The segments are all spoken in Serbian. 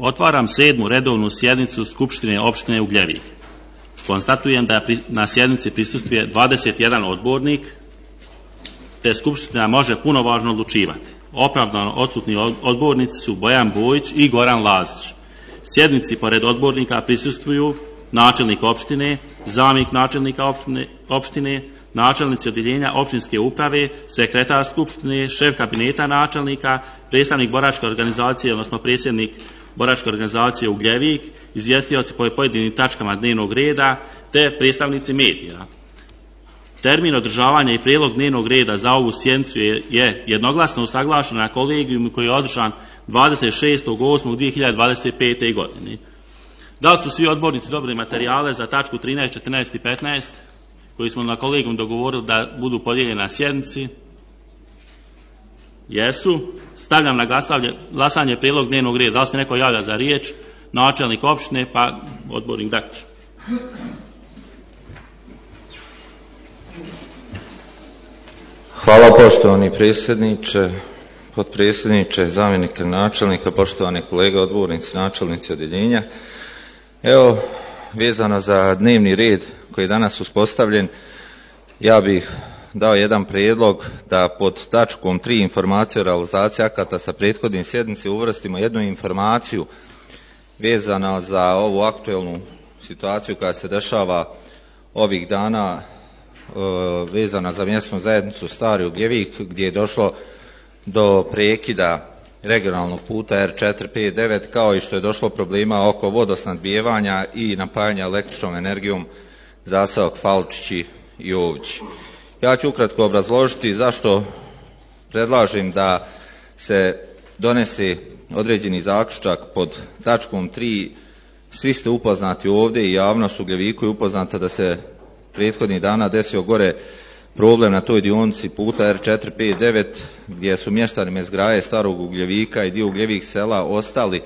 Otvaram 7. redovnu sjednicu Skupštine opštine Ugljevik. Konstatujem da na sjednici prisustvuje 21 odbornik, te Skupština može punovažno odlučivati. Opravdano odsutni odbornici su Bojan Bojić i Goran Lazić. Sjednici pored odbornika prisustvuju načelnik opštine, zamjenik načelnika opštine, načelnici odjeljenja općinske uprave, sekretar skupštine, šef kabineta načelnika, predstavnik boračke organizacije, odnosno predsjednik boračke organizacije Ugljevik, izvjestioci po pojedinim tačkama dnevnog reda, te predstavnici medija. Termin održavanja i prijedlog dnevnog reda za ovu sjednicu je jednoglasno usaglašen na kolegijumu koji je održan 26.8.2025. godine. Da li su svi odbornici dobili materijale za tačku 13, 14 i 15 koji smo na kolegijum dogovorili da budu podijeljeni na sjednici? Jesu. Stavljam na glasanje prijedlog dnevnog reda. Da li se neko javlja za riječ? Načelnik opštine pa odbornik Dakić. Hvala poštovani predsjedniče, potpredsjedniče, zamjenike načelnika, poštovane kolege odbornici, načelnici odjeljenja. Evo, vezano za dnevni red koji je danas uspostavljen, ja bih dao jedan prijedlog da pod tačkom 3 informacije o realizaciji akata sa prethodnim sjednici uvrstimo jednu informaciju vezano za ovu aktuelnu situaciju koja se dešava ovih dana vezana za mjesnu zajednicu Stari Ugljevik, gdje je došlo do prekida regionalnog puta R459, kao i što je došlo problema oko vodosnadbijevanja i napajanja električnom energijom zaseok Falčići i Ovići. Ja ću ukratko obrazložiti zašto predlažem da se donese određeni zaključak pod tačkom 3. Svi ste upoznati ovdje i javnost u Ugljeviku je upoznata da se prethodnih dana desio gore problem na toj dionici puta R459 gdje su mještani Mezgraje, Starog Ugljevika i dio Ugljevik sela ostali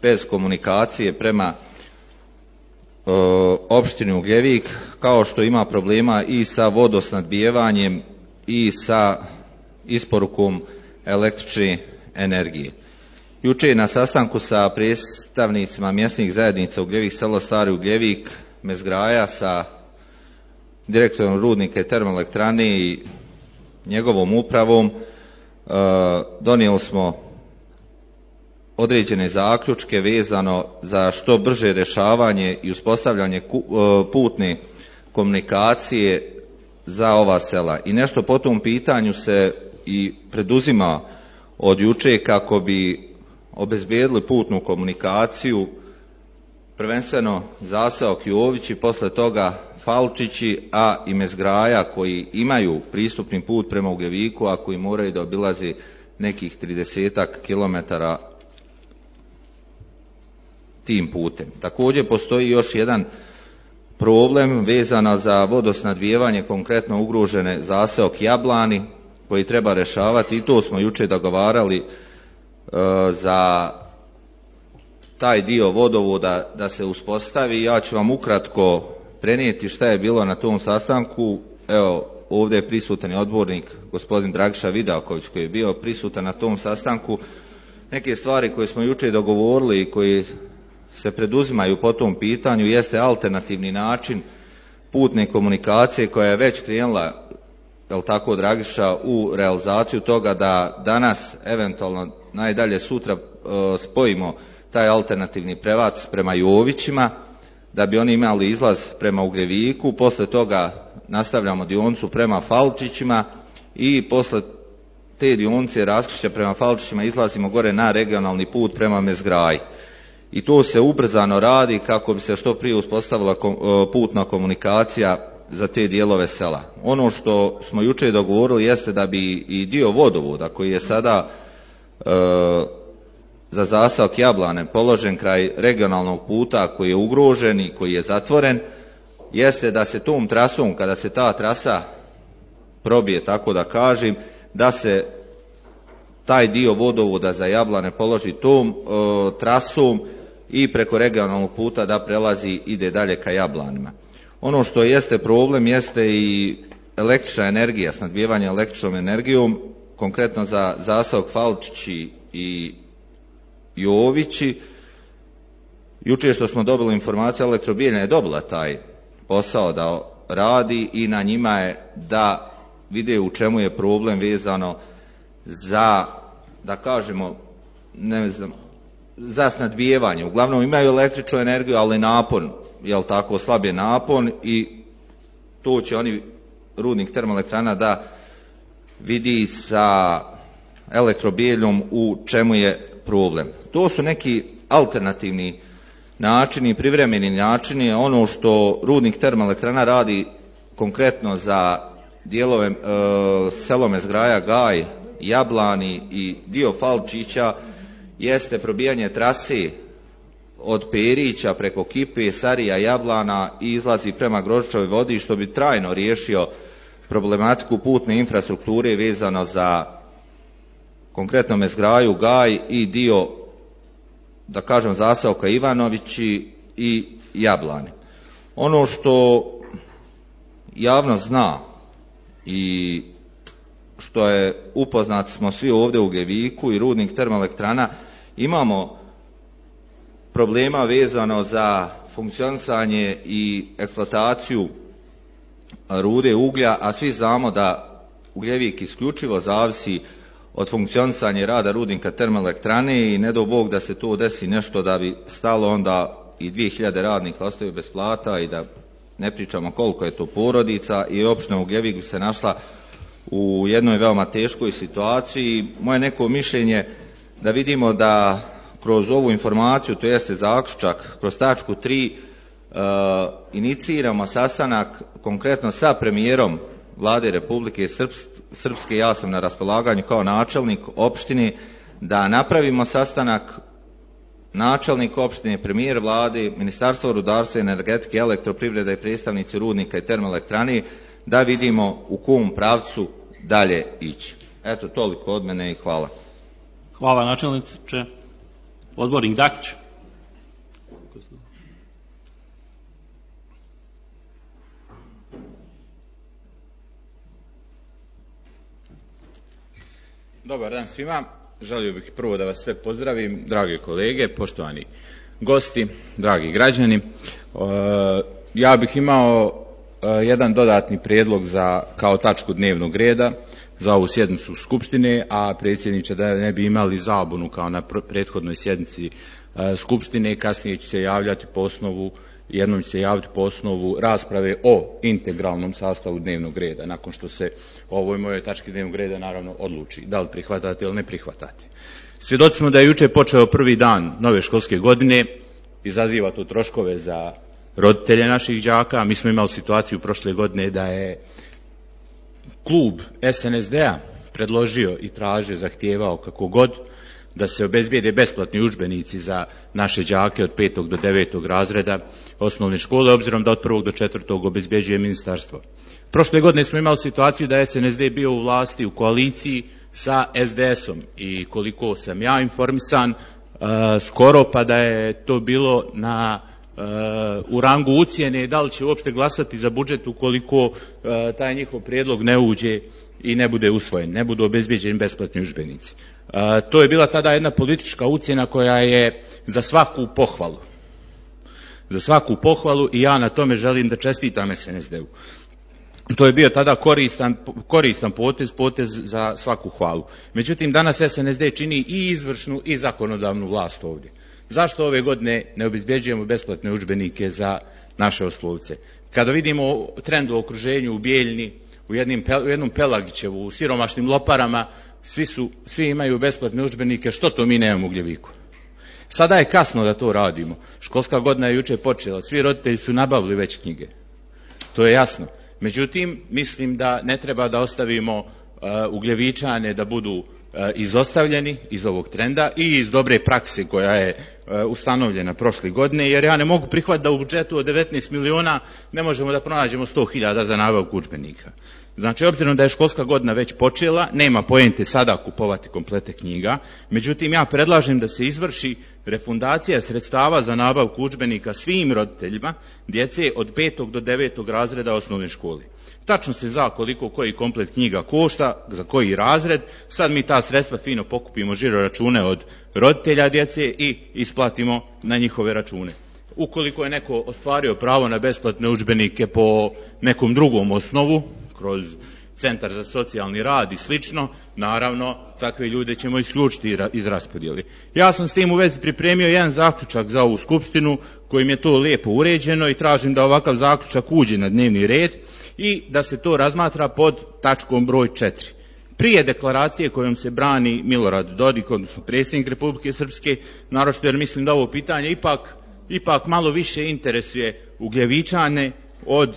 bez komunikacije prema opštini Ugljevik, kao što ima problema i sa vodosnadbijevanjem i sa isporukom električne energije. Juče na sastanku sa predstavnicima mjesnih zajednica Ugljevik selo, Stari Ugljevik, Mezgraja, sa direktorom rudnika i termoelektrane i njegovom upravom donijeli smo određene zaključke vezano za što brže rješavanje i uspostavljanje putne komunikacije za ova sela. I nešto po tom pitanju se i preduzima od juče kako bi obezbijedili putnu komunikaciju, prvenstveno zaseok Jovići, posle toga Falčići, a i Mezgraja koji imaju pristupni put prema Ugljeviku, a koji moraju da obilazi nekih 30 kilometara tim putem. Također postoji još jedan problem vezano za vodosnadbijevanje, konkretno ugrožene zaseok Jablani, koji treba rješavati, i to smo juče dogovarali za taj dio vodovoda da se uspostavi. Ja ću vam ukratko prenijeti šta je bilo na tom sastanku. Evo, ovdje je prisutan odbornik gospodin Dragiša Vidaković koji je bio prisutan na tom sastanku. Neke stvari koje smo juče dogovorili i koji se preduzimaju po tom pitanju jeste alternativni način putne komunikacije koja je već krenula, jel tako Dragiša, u realizaciju toga da danas, eventualno najdalje sutra, spojimo taj alternativni pravac prema Jovićima, da bi oni imali izlaz prema Ugljeviku, posle toga nastavljamo dionicu prema Falčićima i posle te dionice raskrižja prema Falčićima izlazimo gore na regionalni put prema Mezgraji. I to se ubrzano radi kako bi se što prije uspostavila putna komunikacija za te dijelove sela. Ono što smo juče dogovorili jeste da bi i dio vodovoda koji je sada za zaseok Jablane položen kraj regionalnog puta koji je ugrožen i koji je zatvoren, jeste da se tom trasom, kada se ta trasa probije, tako da kažem, da se taj dio vodovoda za Jablane položi tom trasom i preko regionalnog puta da prelazi, ide dalje ka Jablanima. Ono što jeste problem jeste i električna energija, snadbijevanje električnom energijom, konkretno za zaseok Falčići i Jovići, Jučer što smo dobili informaciju, Elektrobijeljna je dobila taj posao da radi i na njima je da vide u čemu je problem vezano za, da kažemo, ne znam, za snadbijevanje. Uglavnom imaju električnu energiju, ali napon, jel tako, slab je napon i to će oni, rudnik termoelektrana, da vidi sa Elektrobijeljom u čemu je problem. To su neki alternativni načini, privremeni načini. Ono što rudnik termoelektrana radi konkretno za dijelove Selome, Zgraja, Gaj, Jablani i dio Falčića jeste probijanje trase od Perića preko Kipe, Sarija, Jablana i izlazi prema Grožićevoj vodi, što bi trajno riješio problematiku putne infrastrukture vezano za konkretno Mezgraju, Gaj i dio, da kažem, zaseoka Ivanovići i Jablani. Ono što javnost zna i što je upoznat smo svi ovdje u Ugljeviku i rudnik termoelektrana, imamo problema vezano za funkcionisanje i eksploataciju rude uglja, a svi znamo da Ugljevik isključivo zavisi od funkcionisanja rada rudnika termoelektrane i ne do Bog da se to desi nešto da bi stalo, onda i 2000 radnika ostaju bez plata i da ne pričamo koliko je to porodica i opština Ugljevik bi se našla u jednoj veoma teškoj situaciji. Moje neko mišljenje da vidimo da kroz ovu informaciju, to jeste zaključak, kroz tačku 3 iniciramo sastanak konkretno sa premijerom Vlade Republike Srpske. Ja sam na raspolaganju kao načelnik opštine da napravimo sastanak, načelnik opštine, premijer Vlade, Ministarstvo rudarstva i energetike, elektroprivrede i predstavnici rudnika i termoelektrane, da vidimo u kom pravcu dalje ići. Eto, toliko od mene i hvala. Hvala načelniče. Odbornik Dakić. Dobar dan svima. Želio bih prvo da vas sve pozdravim, drage kolege, poštovani gosti, dragi građani. Ja bih imao jedan dodatni prijedlog za kao tačku dnevnog reda za ovu sjednicu Skupštine, a predsjedniče, da ne bi imali zabunu kao na prethodnoj sjednici Skupštine, kasnije ću se javljati po osnovu, jednom ću se javiti po osnovu rasprave o integralnom sastavu dnevnog reda, nakon što se o ovoj mojoj tački dnevnog reda naravno odluči, da li prihvatate ili ne prihvatate. Svjedoci smo da je jučer počeo prvi dan nove školske godine, izaziva to troškove za roditelje naših đaka. Mi smo imali situaciju prošle godine da je klub SNSD-a predložio i tražio, zahtijevao kako god, da se obezbijede besplatni udžbenici za naše đake od 5. do 9. razreda osnovne škole, obzirom da od 1. do 4. obezbjeđuje ministarstvo. Prošle godine smo imali situaciju da je SNSD bio u vlasti, u koaliciji sa SDS-om i koliko sam ja informisan, skoro pa da je to bilo u rangu ucijene da li će uopšte glasati za budžet ukoliko taj njihov prijedlog ne uđe i ne bude usvojen, ne budu obezbjeđeni besplatni udžbenici. To je bila tada jedna politička ucjena koja je za svaku pohvalu. Za svaku pohvalu i ja na tome želim da čestitam SNSD-u. To je bio tada koristan potez za svaku hvalu. Međutim, danas SNSD čini i izvršnu i zakonodavnu vlast ovdje. Zašto ove godine ne obezbjeđujemo besplatne udžbenike za naše oslovce? Kada vidimo trend u okruženju u Bijeljni, u jednom Pelagićevu, u siromašnim Loparama, svi imaju besplatne udžbenike, što to mi nemamo u Ugljeviku? Sada je kasno da to radimo. Školska godina je jučer počela, svi roditelji su nabavili već knjige. To je jasno. Međutim, mislim da ne treba da ostavimo Ugljevičane da budu izostavljeni iz ovog trenda i iz dobre prakse koja je ustanovljena prošle godine, jer ja ne mogu prihvatiti da u budžetu od 19 miliona ne možemo da pronađemo 100.000 za nabavku udžbenika. Znači, obzirom da je školska godina već počela, nema poente sada kupovati komplete knjiga, međutim ja predlažem da se izvrši refundacija sredstava za nabavku udžbenika svim roditeljima djece od 5. do 9. razreda osnovne škole. Tačno se zna koliko koji komplet knjiga košta, za koji razred, sad mi ta sredstva fino pokupimo žiro račune od roditelja djece i isplatimo na njihove račune. Ukoliko je neko ostvario pravo na besplatne udžbenike po nekom drugom osnovu, kroz centar za socijalni rad i slično, naravno, takve ljude ćemo isključiti iz raspodjeli. Ja sam s tim u vezi pripremio jedan zaključak za ovu skupštinu, kojim je to lijepo uređeno i tražim da ovakav zaključak uđe na dnevni red i da se to razmatra pod tačkom broj 4. Prije deklaracije kojom se brani Milorad Dodik, odnosno predsjednik Republike Srpske, naročito jer mislim da ovo pitanje ipak malo više interesuje Ugljevičane od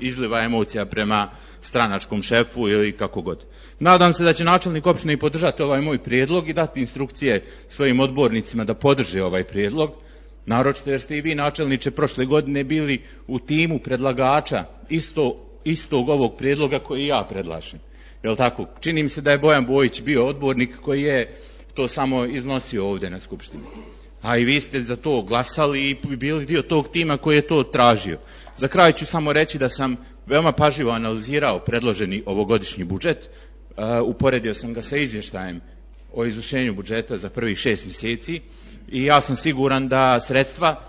izliva emocija prema stranačkom šefu ili kako god. Nadam se da će načelnik opštine i podržati ovaj moj prijedlog i dati instrukcije svojim odbornicima da podrže ovaj prijedlog, naročito jer ste i vi, načelniče, prošle godine bili u timu predlagača istog ovog prijedloga koji ja predlažem. Jel tako? Čini mi se da je Bojan Bojić bio odbornik koji je to samo iznosio ovdje na skupštini. A i vi ste za to glasali i bili dio tog tima koji je to tražio. Za kraj ću samo reći da sam veoma pažljivo analizirao predloženi ovogodišnji budžet, uporedio sam ga sa izvještajem o izvršenju budžeta za prvih 6 mjeseci i ja sam siguran da sredstva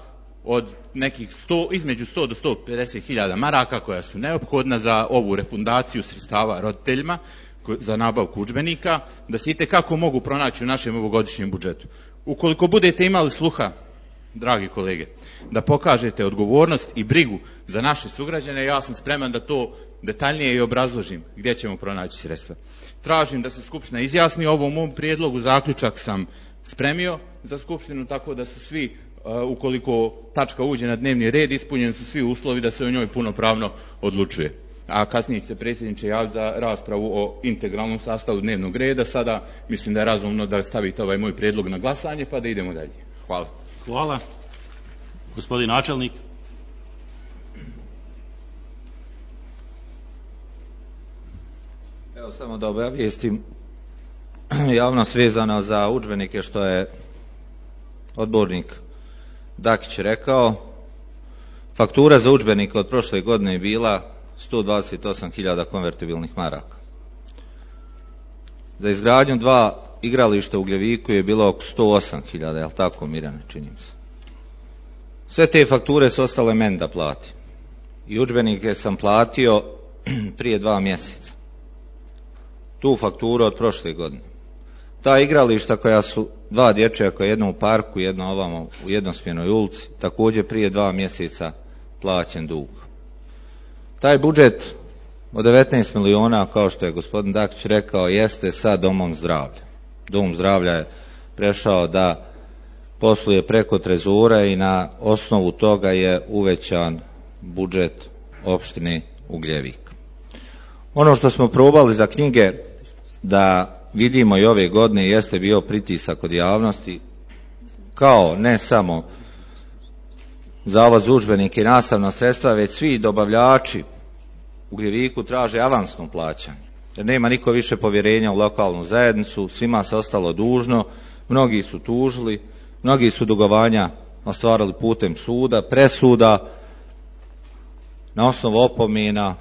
od nekih između 100 do 150 hiljada maraka koja su neophodna za ovu refundaciju sredstava roditeljima za nabavku udžbenika, da se itekako mogu pronaći u našem ovogodišnjem budžetu. Ukoliko budete imali sluha, dragi kolege, da pokažete odgovornost i brigu za naše sugrađane, ja sam spreman da to detaljnije i obrazložim gdje ćemo pronaći sredstva. Tražim da se Skupština izjasni o ovom mom prijedlogu, zaključak sam spremio za Skupštinu, tako da su svi, ukoliko tačka uđe na dnevni red, ispunjeni su svi uslovi da se o njoj punopravno odlučuje. A kasnije će se predsjedniče javiti za raspravu o integralnom sastavu dnevnog reda. Sada mislim da je razumno da stavite ovaj moj prijedlog na glasanje pa da idemo dalje. Hvala. Hvala. Gospodin načelnik. Evo samo da obavijestim javnost vezano za udžbenike što je odbornik Dakić rekao. Faktura za udžbenike od prošle godine je bila 128.000 konvertibilnih maraka. Za izgradnju 2 igrališta u Ugljeviku je bilo oko 108.000, je li tako, Mirjane, čini mi se. Sve te fakture su ostale meni da plati. I udžbenike sam platio prije 2 mjeseca. Tu fakturu od prošle godine. Ta igrališta koja su 2 dječja, koja je jedno u parku, jedno ovamo u jednosmjernoj ulici, također prije 2 mjeseca plaćen dug. Taj budžet od 19 miliona, kao što je gospodin Dakić rekao, jeste sa domom zdravlja. Dom zdravlja je prešao da posluje preko trezora i na osnovu toga je uvećan budžet opštine Ugljevik. Ono što smo probali za knjige da vidimo i ove godine jeste bio pritisak od javnosti, kao ne samo Zavod za udžbenike i nastavna sredstva, već svi dobavljači u Ugljeviku traže avansno plaćanje. Jer nema niko više povjerenja u lokalnu zajednicu, svima se ostalo dužno, mnogi su tužili, mnogi su dugovanja ostvarili putem suda, presuda, na osnovu opomena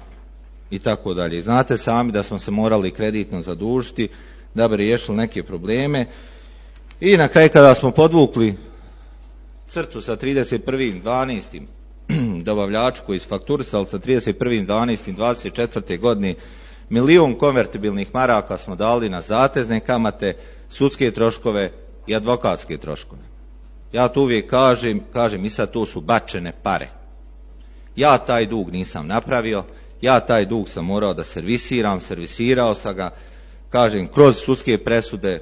i tako dalje. Znate sami da smo se morali kreditno zadužiti da bi riješili neke probleme i na kraju kada smo podvukli crtu sa 31.12. dobavljaču koji su fakturisali sa 31.12.24. godine 1 milion konvertibilnih maraka smo dali na zatezne kamate, sudske troškove i advokatske troškove. Ja to uvijek kažem i sad to su bačene pare. Ja taj dug nisam napravio, ja taj dug sam morao da servisirao sam ga, kažem, kroz sudske presude,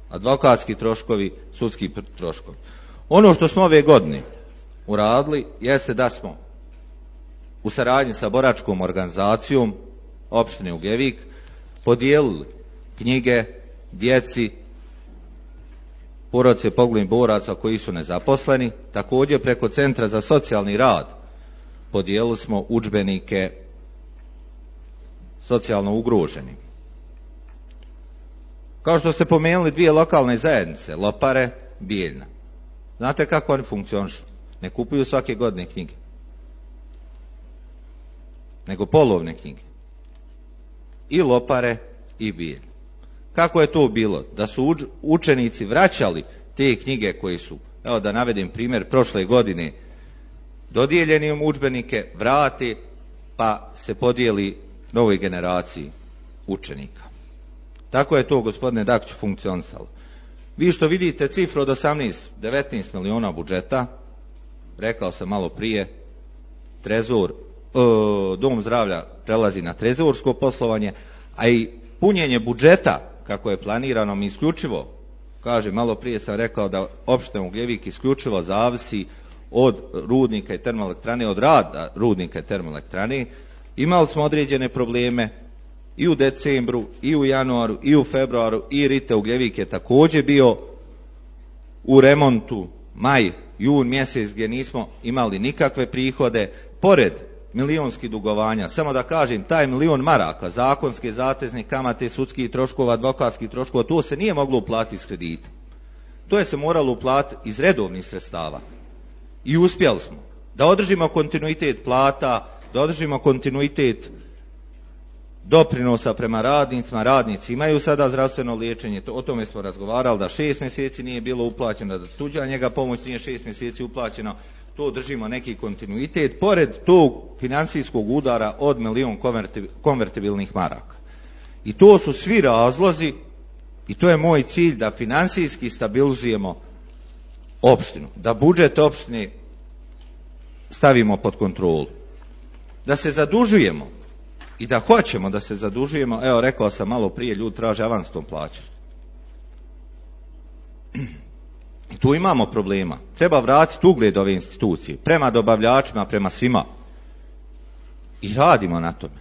advokatski troškovi, sudski troškovi. Ono što smo ove godine uradili jeste da smo u saradnji sa boračkom organizacijom opštine Ugljevik podijelili knjige djeci, porodice poginulih boraca koji su nezaposleni. Također preko Centra za socijalni rad podijelili smo udžbenike socijalno ugroženim. Kao što ste pomenuli 2 lokalne zajednice, Lopare, Bijeljna. Znate kako oni funkcionišu? Ne kupuju svake godine knjige. nego polovne knjige. I lopare i bilj. Kako je to bilo? Da su učenici vraćali te knjige koji su, evo da navedem primjer, prošle godine dodijeljeni im udžbenike, vrati, pa se podijeli novoj generaciji učenika. Tako je to, gospodine Dakiću, funkcionisalo. Vi što vidite cifru od 19 miliona budžeta, rekao sam malo prije, dom zdravlja prelazi na trezorsko poslovanje, a i punjenje budžeta, kako je planirano, mi isključivo, kažem, malo prije sam rekao da opština Ugljevik isključivo zavisi od rudnika i termoelektrane, od rada rudnika i termoelektrane. Imali smo određene probleme i u decembru, i u januaru, i u februaru, i Rite Ugljevik je također bio u remontu, maj, jun mjesec, gdje nismo imali nikakve prihode, pored milionskih dugovanja. Samo da kažem, taj 1 milion maraka, zakonske, zatezne kamate, sudskih troškova, advokatskih troškova, to se nije moglo uplatiti iz kredita. To je se moralo uplatiti iz redovnih sredstava. I uspjeli smo da održimo kontinuitet plata, da održimo kontinuitet doprinosa prema radnicima. Radnici imaju sada zdravstveno liječenje, o tome smo razgovarali, da 6 mjeseci nije bilo uplaćeno, da tuđa njega pomoć nije 6 mjeseci uplaćeno. To držimo neki kontinuitet, pored tog financijskog udara od 1 milion konvertibilnih maraka. I to su svi razlozi, i to je moj cilj, da financijski stabilizujemo opštinu, da budžet opštine stavimo pod kontrolu, da se zadužujemo i da hoćemo da se zadužujemo. Evo, rekao sam malo prije, ljudi traže avansnom plaćanju. I tu imamo problema. Treba vratiti ugled ove institucije prema dobavljačima, prema svima. I radimo na tome.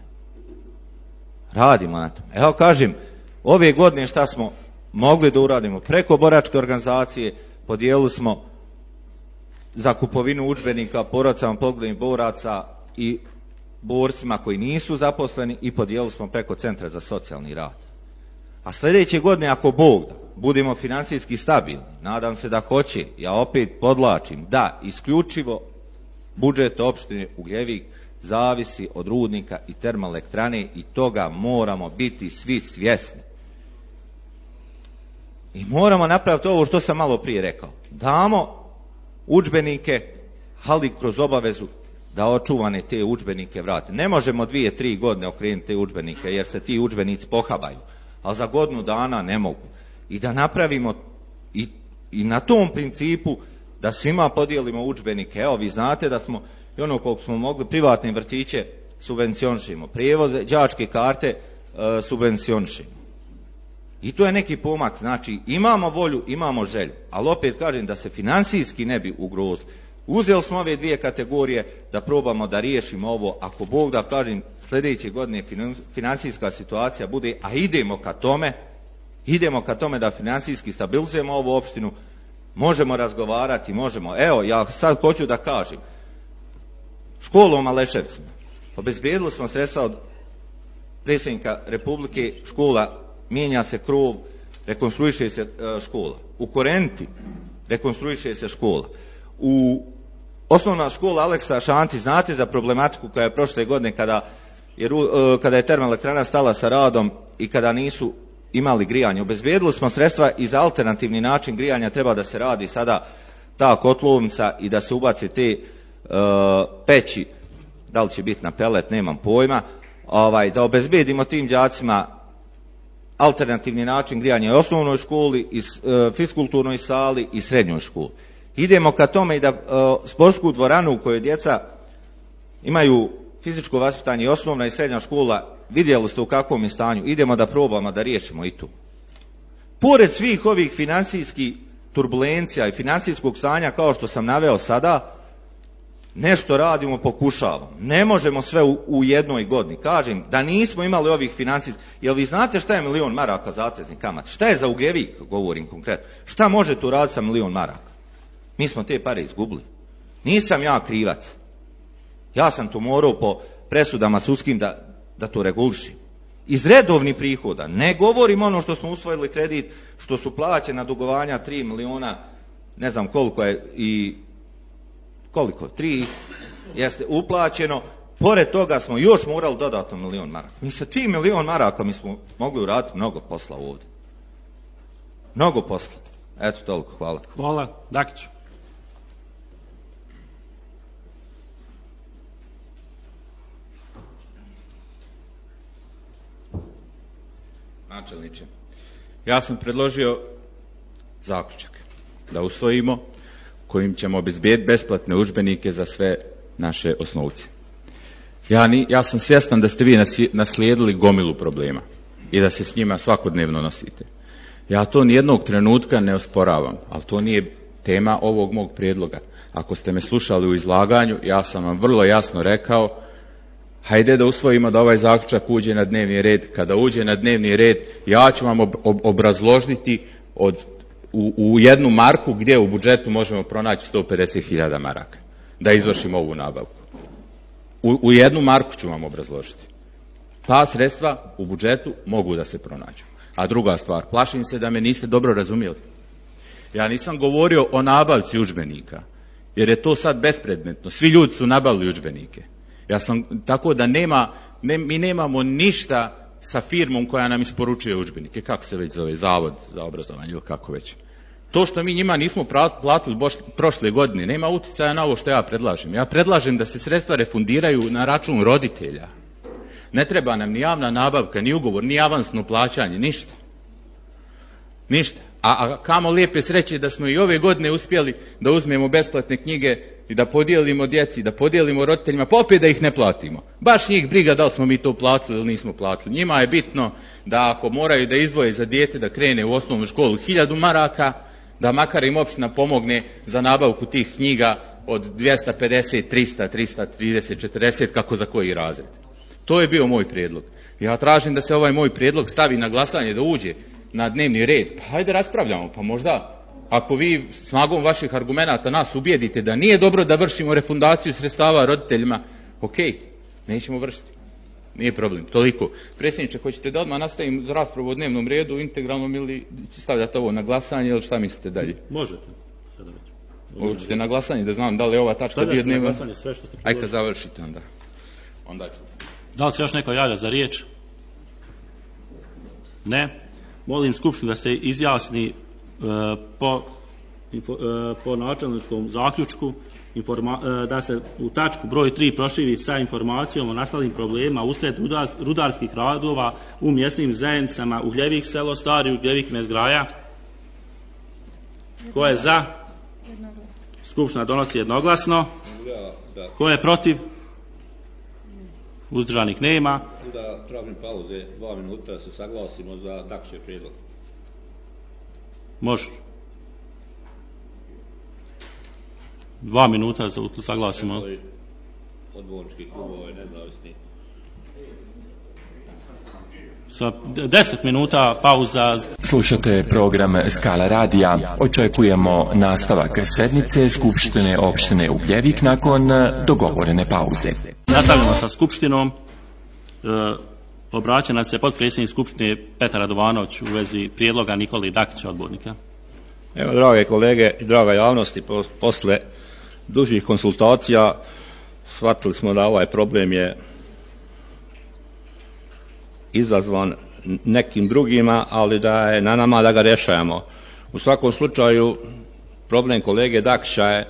Evo kažem, ove godine šta smo mogli da uradimo? Preko boračke organizacije podijelili smo za kupovinu udžbenika porodicama poginulih boraca i borcima koji nisu zaposleni, i podijelili smo preko Centra za socijalni rad. A sljedeće godine, ako Bog da, budemo financijski stabilni, nadam se da hoće, ja opet podlačim, da isključivo budžet opštine Ugljevik zavisi od rudnika i termoelektrane, i toga moramo biti svi svjesni. I moramo napraviti ovo što sam malo prije rekao. Damo udžbenike, ali kroz obavezu da očuvane te udžbenike vrate. Ne možemo 2-3 godine okrenuti te udžbenike, jer se ti udžbenici pohabaju, ali za godinu dana ne mogu. I da napravimo i na tom principu da svima podijelimo udžbenike. Evo, vi znate da smo, i ono koliko smo mogli, privatne vrtiće subvencionišemo, prijevoze, đačke karte subvencionišemo. I to je neki pomak. Znači, imamo volju, imamo želju, ali opet kažem, da se financijski ne bi ugrozili. Uzeli smo ove dvije kategorije da probamo da riješimo ovo. Ako Bog da, kažem, sljedeće godine financijska situacija bude, a idemo ka tome da financijski stabilizujemo ovu opštinu, možemo razgovarati, možemo. Evo, ja sad hoću da kažem, školu u Maleševcima, obezbijedili smo sredstva od predsjednika Republike, škola, mijenja se krov, rekonstruiše se škola. U Korenti rekonstruiše se škola. U osnovna škola Aleksa Šanti, znate za problematiku koja je prošle godine kada je termoelektrana stala sa radom i kada nisu imali grijanje. Obezbijedili smo sredstva i za alternativni način grijanja, treba da se radi sada ta kotlovnica i da se ubace te peći, da li će biti na pelet, nemam pojma, da obezbijedimo tim đacima alternativni način grijanja u osnovnoj školi, i fiskulturnoj sali i srednjoj školi. Idemo ka tome i da sportsku dvoranu u kojoj djeca imaju fizičko vaspitanje, i osnovna i srednja škola, vidjeli ste u kakvom je stanju, idemo da probamo da riješimo i tu. Pored svih ovih financijskih turbulencija i financijskog stanja, kao što sam naveo sada, nešto radimo, pokušavamo. Ne možemo sve u jednoj godini. Kažem, da nismo imali ovih financijskih... Jel vi znate šta je 1 milion maraka zateznih kamata? Šta je za Ugljevik, govorim konkretno? Šta može tu raditi sa 1 milion maraka? Mi smo te pare izgubili. Nisam ja krivac. Ja sam to morao po presudama sudskim da to regulišim. Iz redovnih prihoda. Ne govorim ono što smo usvojili kredit, što su plaćena dugovanja 3 miliona, ne znam koliko je, i koliko, 3 jeste uplaćeno, Pored toga smo još morali dodatno 1 milion maraka. Mi sa tim 1 milion maraka mi smo mogli uraditi mnogo posla ovdje. Mnogo posla. Eto, toliko. Hvala. Hvala. Dakić. Načelniče, ja sam predložio zaključak da usvojimo kojim ćemo obezbijeti besplatne udžbenike za sve naše osnovce. Ja sam svjestan da ste vi naslijedili gomilu problema i da se s njima svakodnevno nosite. Ja to nijednog trenutka ne osporavam, ali to nije tema ovog mog prijedloga. Ako ste me slušali u izlaganju, ja sam vam vrlo jasno rekao, hajde da usvojimo da ovaj zaključak uđe na dnevni red. Kada uđe na dnevni red, ja ću vam obrazložiti u 1 marku gdje u budžetu možemo pronaći 150.000 maraka da izvršimo ovu nabavku. U 1 marku ću vam obrazložiti. Ta sredstva u budžetu mogu da se pronađu. A druga stvar, plašim se da me niste dobro razumjeli. Ja nisam govorio o nabavci udžbenika, jer je to sad bespredmetno. Svi ljudi su nabavili udžbenike. Tako da mi nemamo ništa sa firmom koja nam isporučuje udžbenike. Kako se već zove, Zavod za obrazovanje ili kako već. To što mi njima nismo platili prošle godine nema utjecaja na ovo što ja predlažem. Ja predlažem da se sredstva refundiraju na račun roditelja. Ne treba nam ni javna nabavka, ni ugovor, ni avansno plaćanje, ništa. Ništa. A kamo lijepe sreće da smo i ove godine uspjeli da uzmemo besplatne knjige i da podijelimo djeci, da podijelimo roditeljima, pa opet da ih ne platimo. Baš njih briga da li smo mi to platili ili nismo platili. Njima je bitno da ako moraju da izdvoje za dijete da krene u osnovnu školu 1000 maraka, da makar im opština pomogne za nabavku tih knjiga od 250, 300, 330, 40, kako za koji razred. To je bio moj prijedlog. Ja tražim da se ovaj moj prijedlog stavi na glasanje, da uđe na dnevni red. Pa hajde raspravljamo, pa možda ako vi snagom vaših argumenata nas ubijedite da nije dobro da vršimo refundaciju sredstava roditeljima, ok, nećemo vršiti. Nije problem, toliko. Predsjedniče, hoćete da odmah nastavim za raspravu o dnevnom redu, integralnom ili stavljate ovo na glasanje ili šta mislite dalje? Možete. Hoćete na glasanje da znam da li je ova tačka bio dnevna? Glasanje, sve što ste predložili. Ajde kad završite onda ću. Da li se još neko javlja za riječ? Ne. Molim Skupštinu da se izjasni po načelničkom zaključku, da se u tačku broj 3 proširi sa informacijom o nastalim problemima usred rudarskih radova u mjesnim zajednicama Ugljevik selo, Stari Ugljevik, Mezgraja. Ko je za? Skupština donosi jednoglasno. Ko je protiv? Uzdržanih nema. Da tražim pauze 2 minuta da se saglasimo za Dakićev prijedlog. Može. 2 minuta da se saglasimo. Odbornički klubova i nezavisni. Sa 10 minuta pauza. Slušate program Skala radija. Očekujemo nastavak sednice Skupštine opštine Ugljevik nakon dogovorene pauze. Nastavljamo sa Skupštinom. Obraća nas se potpredsjednik Skupštine Petar Radovanović u vezi prijedloga Nikole Dakića, odbornika. Evo, drage kolege i draga javnosti, posle dužih konsultacija shvatili smo da ovaj problem je izazvan nekim drugima, ali da je na nama da ga rješajemo. U svakom slučaju, problem kolege Dakića je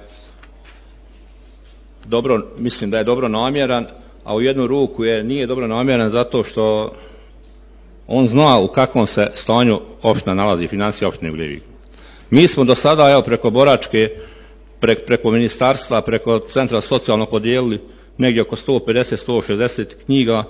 mislim da je dobro namjeran, a u jednu ruku nije dobro namjeran zato što on zna u kakvom se stanju opština nalazi, financija opštine Ugljevik. Mi smo do sada, evo, preko Boračke, preko ministarstva, preko centra socijalno podijelili negdje oko 150-160 knjiga,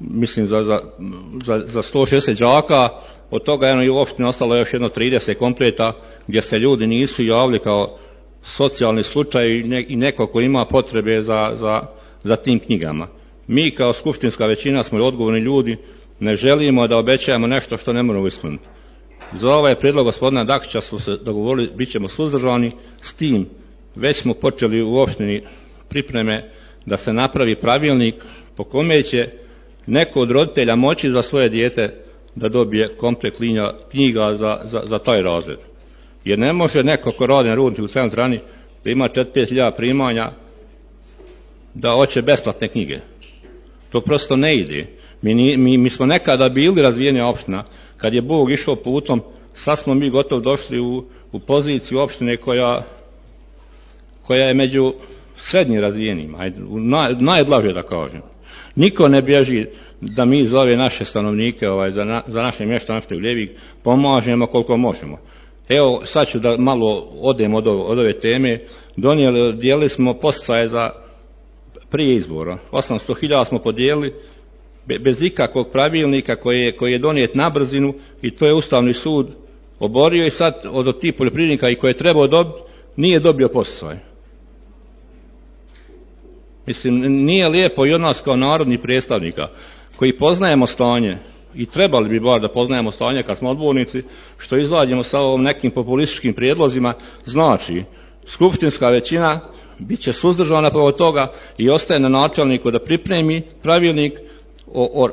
mislim za 160 đaka, od toga je u opštini ostalo još jedno 30 kompleta gdje se ljudi nisu javili kao socijalni slučaj i neko ko ima potrebe za tim knjigama. Mi kao skupštinska većina smo odgovorni ljudi, ne želimo da obećajemo nešto što ne moramo ispuniti. Za ovaj prijedlog gospodina Dakića smo se dogovorili, bit ćemo suzdržani, s tim već smo počeli u opštini pripreme da se napravi pravilnik po kome će neko od roditelja moći za svoje dijete da dobije komplet knjiga za taj razred. Jer ne može neko ko radi na rudniku u centrani da ima 4-5 hiljada primanja da hoće besplatne knjige. To prosto ne ide. Mi smo nekada bili razvijena opština, kad je Bog išao putom, sad smo mi gotovo došli u poziciju opštine koja je među srednje razvijenima, najblaže da kažem. Niko ne bježi da mi za ove naše stanovnike, za naše mještane Ugljevik, pomažemo koliko možemo. Evo, sad ću da malo odem od ove teme. Dijelili smo podsticaje za prije izbora. 800.000 smo podijelili bez ikakvog pravilnika koji je donijet na brzinu i to je Ustavni sud oborio i sad od tih poljoprivrednika i koje je trebao dobiti nije dobio podsticaj. Mislim, nije lijepo i od nas kao narodnih predstavnika koji poznajemo stanje i trebali bi bar da poznajemo stanje kad smo odbornici, što izađemo sa ovom nekim populističkim prijedlozima, znači skupštinska većina bit će suzdržana od toga i ostaje na načelniku da pripremi pravilnik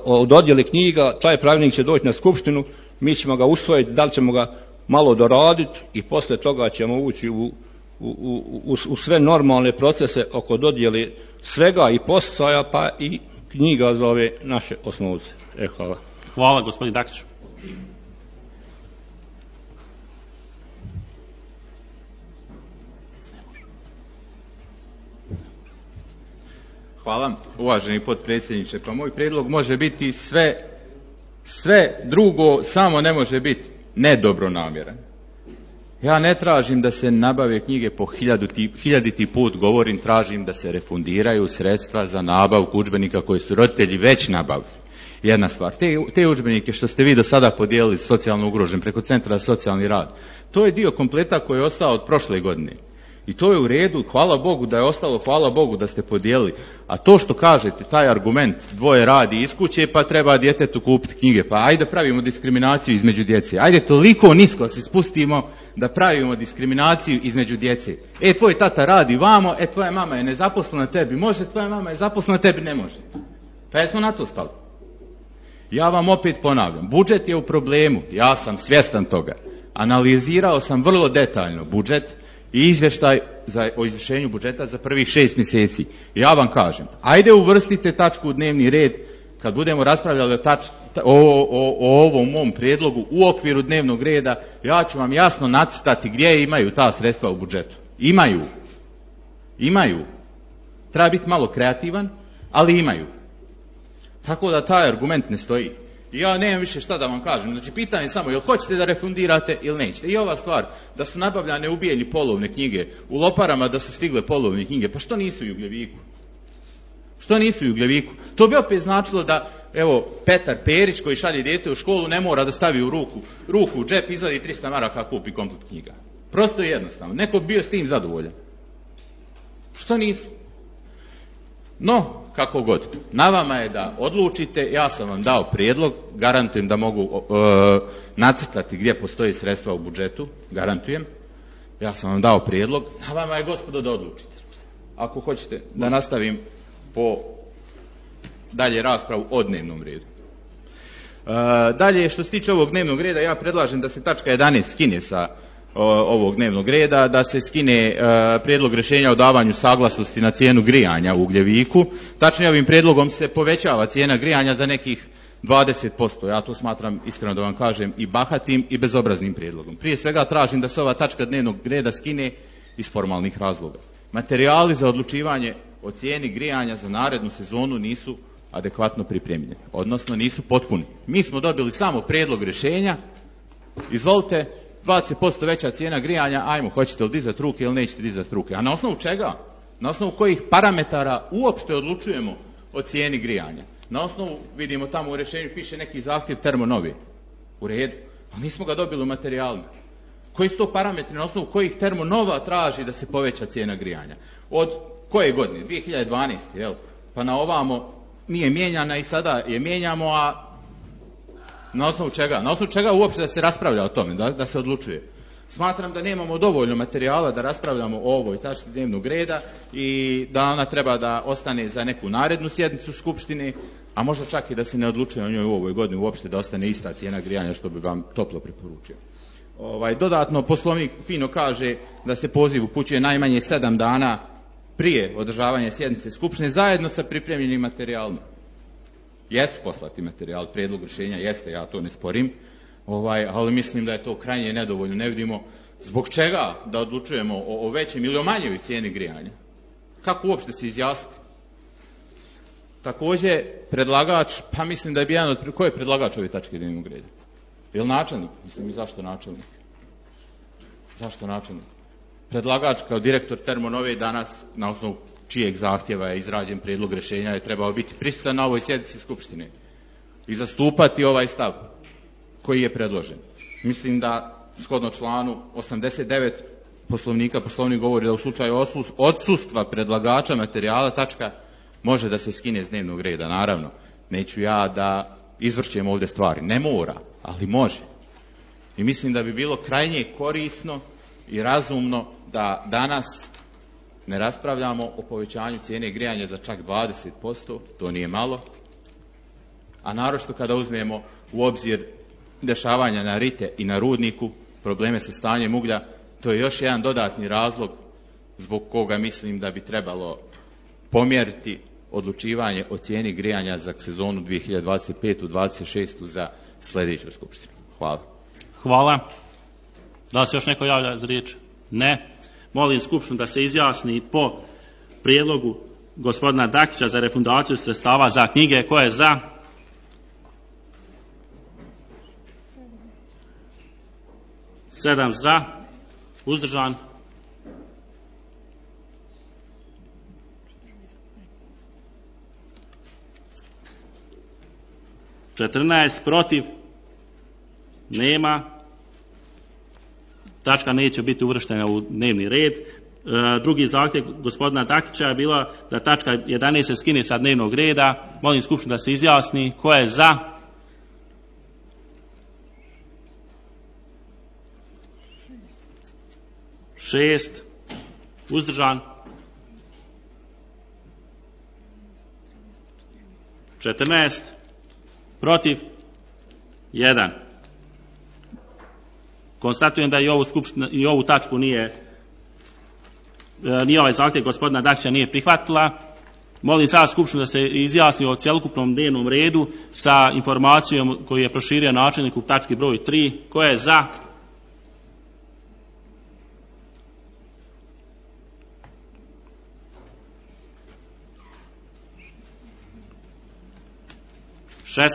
o dodjeli knjiga, taj pravilnik će doći na skupštinu, mi ćemo ga usvojiti, da li ćemo ga malo doraditi i poslije toga ćemo ući u sve normalne procese oko dodjeli svega i podsticaja pa i knjiga za ove naše osnovce. Hvala. Hvala, gospodin Dakić. Hvala, uvaženi potpredsjedniče. Pa moj prijedlog može biti sve drugo, samo ne može biti nedobronamjeran. Ja ne tražim da se nabave knjige po hiljaditi put, govorim, tražim da se refundiraju sredstva za nabavku udžbenika koje su roditelji već nabavili. Jedna stvar, te udžbenike što ste vi do sada podijelili socijalno ugrožen preko Centra za socijalni rad, to je dio kompleta koji je ostao od prošle godine. I to je u redu, hvala Bogu da je ostalo, hvala Bogu da ste podijelili. A to što kažete, taj argument, dvoje radi iz kuće pa treba djetetu kupiti knjige, pa ajde pravimo diskriminaciju između djece. Ajde toliko nisko se spustimo da pravimo diskriminaciju između djece. Tvoj tata radi vamo, tvoja mama je nezaposlena, tebi može, tvoja mama je zaposlena, tebi ne može. Pa jesmo na to stali. Ja vam opet ponavljam, budžet je u problemu, ja sam svjestan toga. Analizirao sam vrlo detaljno budžet i izvještaj o izvršenju budžeta za prvih 6 mjeseci. Ja vam kažem, ajde uvrstite tačku u dnevni red kad budemo raspravljali o ovom mom prijedlogu u okviru dnevnog reda, ja ću vam jasno nacrtati gdje imaju ta sredstva u budžetu. Imaju. Treba biti malo kreativan, ali imaju. Tako da taj argument ne stoji. I ja nemam više šta da vam kažem. Znači, pitanje je samo, jel hoćete da refundirate ili nećete. I ova stvar, da su nabavljane ubijeni polovne knjige, u Loparama da su stigle polovne knjige, pa što nisu u Ugljeviku? To bi opet značilo da, evo, Petar Perić koji šalje dijete u školu ne mora da stavi u ruku u džep, izvadi 300 maraka, kupi komplet knjiga. Prosto i jednostavno. Neko bio s tim zadovoljan. Što nisu? No, kako god. Na vama je da odlučite, ja sam vam dao prijedlog, garantujem da mogu nacrtati gdje postoji sredstva u budžetu, garantujem. Ja sam vam dao prijedlog, na vama je, gospodo, da odlučite. Ako hoćete da nastavim po dalje raspravu o dnevnom redu. Dalje, što se tiče ovog dnevnog reda, ja predlažem da se tačka 11 skine sa ovog dnevnog reda, da se skine prijedlog rješenja o davanju saglasnosti na cijenu grijanja u Ugljeviku. Tačnije, ovim prijedlogom se povećava cijena grijanja za nekih 20%. Ja to smatram, iskreno da vam kažem, i bahatim i bezobraznim prijedlogom. Prije svega tražim da se ova tačka dnevnog reda skine iz formalnih razloga. Materijali za odlučivanje o cijeni grijanja za narednu sezonu nisu adekvatno pripremljeni, odnosno nisu potpuni. Mi smo dobili samo prijedlog rješenja, izvolite, 20% veća cijena grijanja, ajmo, hoćete li dizati ruke ili nećete dizati ruke. A na osnovu čega? Na osnovu kojih parametara uopšte odlučujemo o cijeni grijanja? Na osnovu, vidimo tamo u rješenju piše neki zahtjev termonovi. U redu. A nismo ga dobili u materijalima. Koji su to parametri na osnovu kojih termonova traži da se poveća cijena grijanja? Od koje godine? 2012. Jel? Pa na ovamo nije mijenjana i sada je mijenjamo, a na osnovu čega? Na osnovu čega uopšte da se raspravlja o tome, da se odlučuje? Smatram da nemamo dovoljno materijala da raspravljamo o ovoj tački dnevnog reda i da ona treba da ostane za neku narednu sjednicu Skupštine, a možda čak i da se ne odlučuje o njoj u ovoj godini uopšte, da ostane ista cijena grijanja, što bi vam toplo preporučio. Dodatno, Poslovnik fino kaže da se poziv upućuje najmanje 7 dana prije održavanja sjednice Skupštine zajedno sa pripremljenim materijalima. Jesu poslati materijal, prijedlog rješenja jeste, ja to ne sporim, ali mislim da je to krajnje nedovoljno. Ne vidimo zbog čega da odlučujemo o većem ili o manjoj cijeni grijanja. Kako uopšte se izjasniti? Također, predlagač, pa mislim da je jedan od... Ko je predlagač ove tačke dnevnog reda? Je li načelnik? Mislim, i zašto načelnik? Zašto načelnik? Predlagač kao direktor Termonove danas, na osnovu čijeg zahtjeva je izrađen prijedlog rješenja, je trebao biti prisutan na ovoj sjednici Skupštine i zastupati ovaj stav koji je predložen. Mislim da, shodno članu 89 Poslovnika, Poslovnik govori da u slučaju odsustva predlagača materijala tačka može da se skine s dnevnog reda. Naravno, neću ja da izvrćem ovdje stvari. Ne mora, ali može. I mislim da bi bilo krajnje korisno i razumno da danas ne raspravljamo o povećanju cijene grijanja za čak 20%, to nije malo, a naročito kada uzmemo u obzir dešavanja na Rite i na Rudniku, probleme sa stanjem uglja, to je još jedan dodatni razlog zbog koga mislim da bi trebalo pomjeriti odlučivanje o cijeni grijanja za sezonu 2025-26 za sljedeću skupštinu. Hvala. Hvala. Da li se još neko javlja za riječ? Ne. Molim skupštinu da se izjasni po prijedlogu gospodina Dakića za refundaciju sredstava za knjige. Ko je za? 7 za. Uzdržan? 14 protiv? Nema. Tačka neće biti uvrštena u dnevni red. Drugi zahtjev gospodina Dakića je bila da tačka 11 se skine sa dnevnog reda. Molim skupštinu da se izjasni. Ko je za? 6. Uzdržan? 14. Protiv? 1. Konstatujem da i ovu tačku nije ovaj zahtjev gospodina Dakića nije prihvatila. Molim sada skupštinu da se izjasni o cjelokupnom dnevnom redu sa informacijom koju je proširio načelnik u tački broj 3. Ko je za?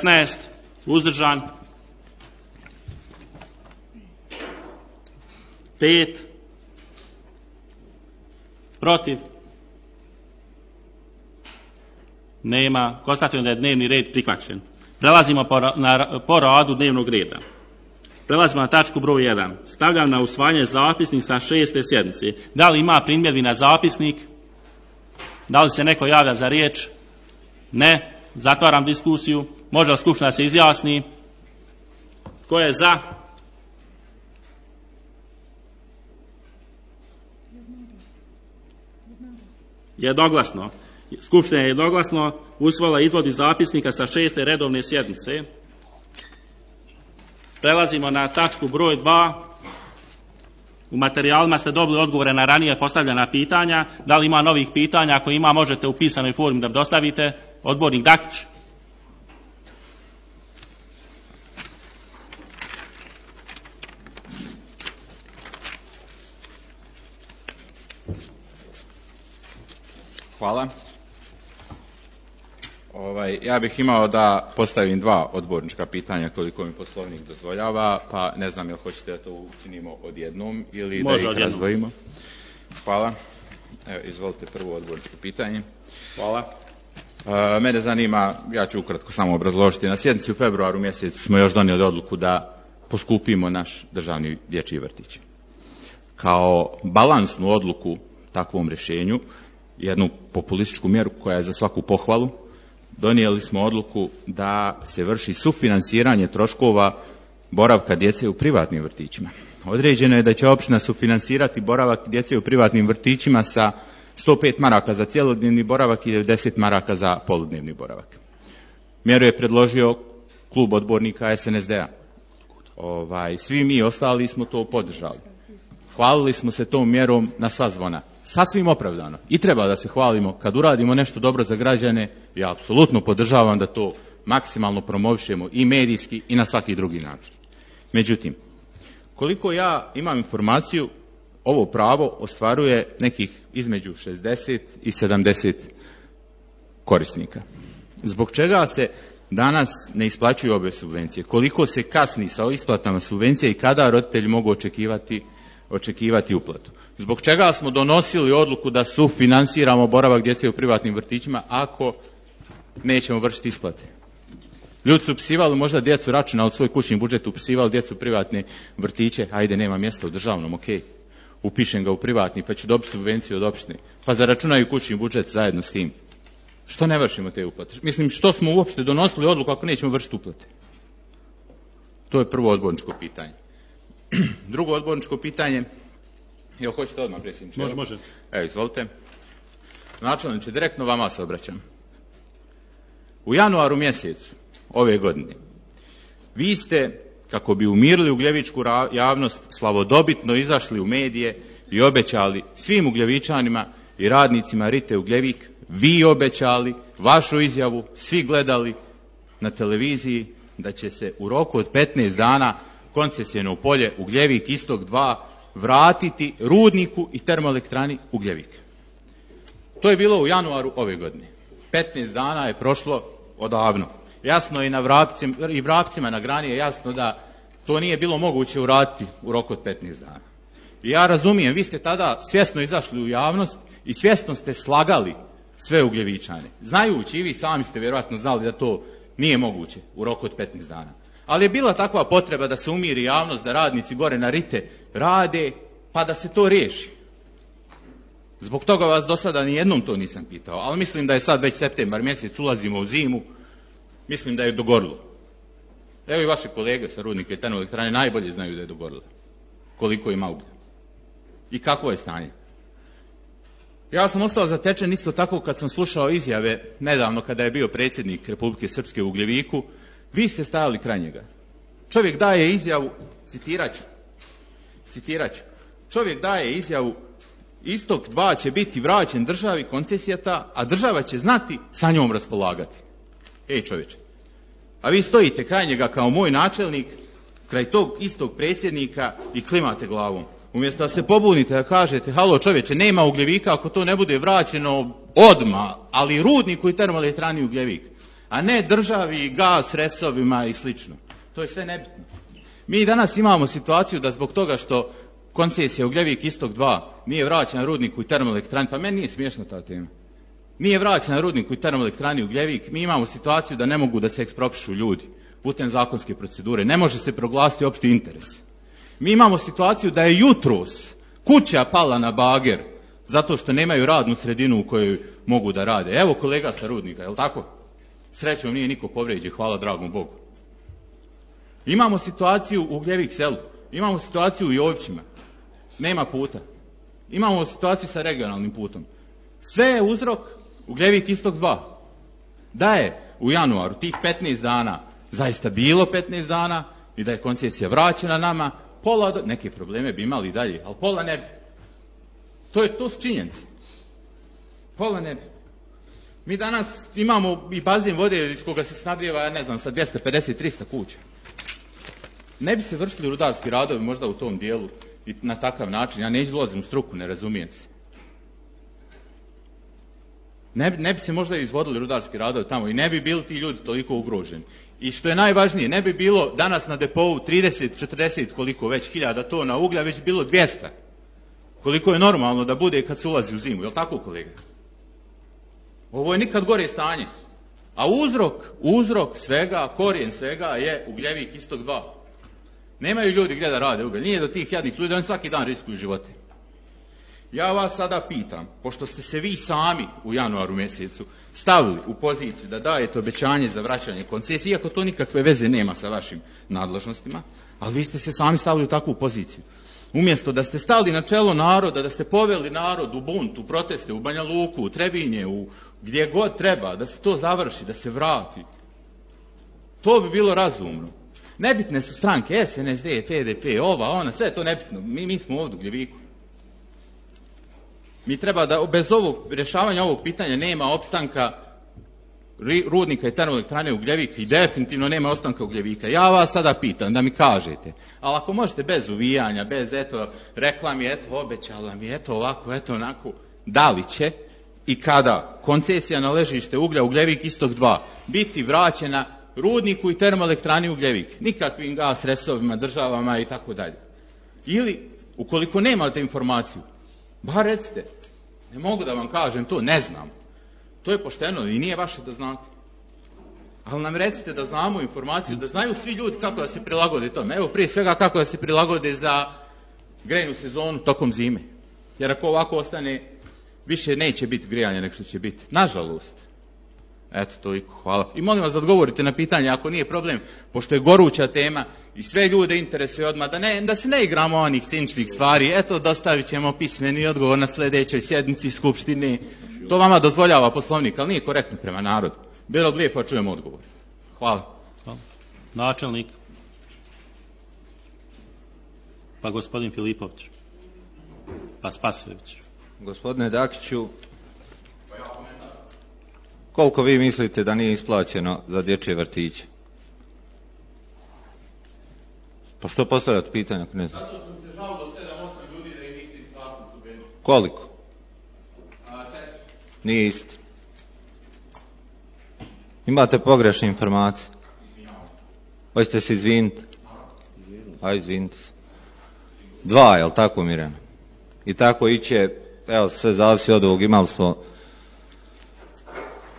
16. Uzdržan? 5. Protiv? Nema. Konstatujem da je dnevni red prihvaćen. Prelazimo po radu dnevnog reda. Prelazimo na tačku broj 1. Stavljam na usvajanje zapisnik sa 6. sjednice. Da li ima primjedbi na zapisnik? Da li se neko javlja za riječ? Ne. Zatvaram diskusiju. Može li skupština se izjasni? Ko je za? Jednoglasno. Skupština je jednoglasno usvojila izvod iz zapisnika sa 6. redovne sjednice. Prelazimo na tačku broj 2. U materijalima ste dobili odgovore na ranije postavljena pitanja. Da li ima novih pitanja? Ako ima, možete u pisanoj formi da dostavite. Odbornik Dakić. Hvala. Ja bih imao da postavim 2 odbornička pitanja koliko mi Poslovnik dozvoljava, pa ne znam jel hoćete da to učinimo odjednom ili može da ih razdvojimo. Hvala. Evo, izvolite prvo odborničko pitanje. Hvala. Mene zanima, ja ću ukratko samo obrazložiti, na sjednici u februaru mjesecu smo još donijeli odluku da poskupimo naš državni dječji vrtić. Kao balansnu odluku takvom rješenju, jednu populističku mjeru koja je za svaku pohvalu, donijeli smo odluku da se vrši sufinansiranje troškova boravka djece u privatnim vrtićima. Određeno je da će općina sufinansirati boravak djece u privatnim vrtićima sa 105 maraka za cjelodnevni boravak i 90 maraka za poludnevni boravak. Mjeru je predložio klub odbornika SNSD-a. Svi mi ostali smo to podržali. Hvalili smo se tom mjerom na sva zvona. Sasvim opravdano. I treba da se hvalimo kad uradimo nešto dobro za građane. Ja apsolutno podržavam da to maksimalno promovišemo i medijski i na svaki drugi način. Međutim, koliko ja imam informaciju, ovo pravo ostvaruje nekih između 60 i 70 korisnika. Zbog čega se danas ne isplaćuju ove subvencije? Koliko se kasni sa isplatama subvencija i kada roditelji mogu očekivati uplatu? Zbog čega smo donosili odluku da sufinansiramo boravak djece u privatnim vrtićima ako nećemo vršiti isplate? Ljudi su upisivali možda djecu računa od svoj kućni budžet, upisivali djecu u privatne vrtiće, ajde nema mjesta u državnom, ok, upišem ga u privatni pa ću dobiti subvenciju od opštine, pa zaračunaju kućni budžet zajedno s tim. Što ne vršimo te uplate? Mislim, što smo uopšte donosili odluku ako nećemo vršiti uplate? To je prvo odborničko pitanje. Drugo odborničko pitanje, jel hoćete odmah, predsjedniče? Može. Evo, izvolite. Načelniče, direktno vama se obraćam. U januaru mjesecu ove godine vi ste, kako bi umirili ugljevičku javnost, slavodobitno izašli u medije i obećali svim ugljevičanima i radnicima Rite Ugljevik, vi obećali, vašu izjavu, svi gledali na televiziji, da će se u roku od 15 dana koncesijeno polje Ugljevik Istok 2 vratiti rudniku i termoelektrani Ugljevik. To je bilo u januaru ove godine. 15 dana je prošlo odavno. Jasno je i vrapcima na grani je jasno da to nije bilo moguće uraditi u roku od 15 dana. I ja razumijem, vi ste tada svjesno izašli u javnost i svjesno ste slagali sve Ugljevičane. Znajući, i vi sami ste vjerojatno znali da to nije moguće u roku od 15 dana. Ali je bila takva potreba da se umiri javnost, da radnici gore na Rite rade, pa da se to riješi. Zbog toga vas do sada nijednom to nisam pitao, ali mislim da je sad već septembar mjesec, ulazimo u zimu, mislim da je dogorilo. Evo i vaše kolege sa rudnika i termoelektrane najbolje znaju da je dogorilo. Koliko ima uglja. I kakvo je stanje. Ja sam ostao zatečen isto tako kad sam slušao izjave nedavno kada je bio predsjednik Republike Srpske u Ugljeviku. Vi ste stajali kraj njega. Čovjek daje izjavu, citirat ću. Čovjek daje izjavu, Istok 2 će biti vraćen državi, koncesija ta, a država će znati sa njom raspolagati. Ej čovječe, a vi stojite kraj njega kao moj načelnik, kraj tog istog predsjednika i klimate glavom. Umjesto da se pobunite, da kažete, halo čovječe, nema Ugljevika ako to ne bude vraćeno odmah, ali rudniku i termoelektrani Ugljevik, a ne državi, gas, resovima i slično. To je sve nebitno. Mi danas imamo situaciju da zbog toga što koncesija Ugljevik Istok 2 nije vraćena rudniku i termoelektrani, pa meni nije smiješna ta tema. Nije vraćena rudniku i termoelektrani Ugljevik, mi imamo situaciju da ne mogu da se eksproprišu ljudi putem zakonske procedure, ne može se proglasiti opšti interes. Mi imamo situaciju da je jutros kuća pala na bager zato što nemaju radnu sredinu u kojoj mogu da rade. Evo kolega sa rudnika, je li tako? Srećom nije niko povrijeđen, hvala dragom Bogu. Imamo situaciju u Ugljevik selu, imamo situaciju u Jovićima, nema puta. Imamo situaciju sa regionalnim putom. Sve je uzrok Ugljevik Istok 2. Da je u januaru tih 15 dana zaista bilo 15 dana i da je koncesija vraćena nama, neke probleme bi imali dalje, ali pola ne bi. To su činjenice. Pola ne bi. Mi danas imamo i bazen vode iz koga se snabdijeva, ja ne znam, sa 250-300 kuća. Ne bi se vršili rudarski radovi možda u tom dijelu i na takav način. Ja neću dolazim u struku, ne razumijem se. Ne bi se možda izvodili rudarski radovi tamo i ne bi bili ti ljudi toliko ugroženi. I što je najvažnije, ne bi bilo danas na depovu 30-40 koliko već hiljada tona uglja, već bilo 200. Koliko je normalno da bude kad se ulazi u zimu, je li tako kolega? Ovo je nikad gore stanje. A uzrok svega, korijen svega je Ugljevik Istok 2. Nemaju ljudi gdje da rade ugalj, nije do tih jadnih ljudi, oni svaki dan riskuju živote. Ja vas sada pitam, pošto ste se vi sami u januaru mjesecu stavili u poziciju da dajete obećanje za vraćanje koncesije, iako to nikakve veze nema sa vašim nadležnostima, ali vi ste se sami stavili u takvu poziciju. Umjesto da ste stali na čelo naroda, da ste poveli narod u bunt, u proteste, u Banja Luku, u Trebinje, gdje god treba, da se to završi, da se vrati. To bi bilo razumno. Nebitne su stranke, SNSD, PDP, ova, ona, sve je to nebitno. Mi smo ovdje u Gljeviku. Mi treba da, bez rješavanja ovog pitanja nema opstanka rudnika i termoelektrane Ugljevik i definitivno nema ostanka ugljevika. Ja vas sada pitam da mi kažete, ali ako možete bez uvijanja, bez reklami, obećala mi, ovako, onako, da li će i kada koncesija na ležište uglja Ugljevik Istok 2 biti vraćena rudniku i termoelektrani Ugljevik, nikakvim gas resovima, državama i tako dalje. Ili, ukoliko nemate informaciju, bar recite, ne mogu da vam kažem to, ne znam. To je pošteno i nije vaše da znate. Ali nam recite da znamo informaciju, da znaju svi ljudi kako da se prilagode tome. Evo prije svega kako da se prilagode za grejnu sezonu tokom zime. Jer ako ovako ostane, više neće biti grijanja nego što će biti. Nažalost. Eto, toliko. Hvala. I molim vas da odgovorite na pitanje, ako nije problem, pošto je goruća tema i sve ljude interesuje odmah, da se ne igramo onih ciničnih stvari. Eto, dostavit ćemo pismeni odgovor na sljedećoj sjednici Skupštine. To vama dozvoljava Poslovnik, ali nije korektno prema narodu. Bilo bi lijepo, čujemo odgovor. Hvala. Načelnik. Pa gospodin Filipović. Pa Spasojević. Gospodine Dakiću, koliko vi mislite da nije isplaćeno za dječje vrtiće? Pa što postavljate pitanje ako ne znam? Zato sam se žalio od 7-8 ljudi da im niste isplatili subvenciju. Koliko? 4. Nije isti. Imate pogrešne informacije. Hoćete se izviniti? Izvinite se. 2, jel tako, Mirjana? I tako iće, evo, sve zavisi od ovog, imali smo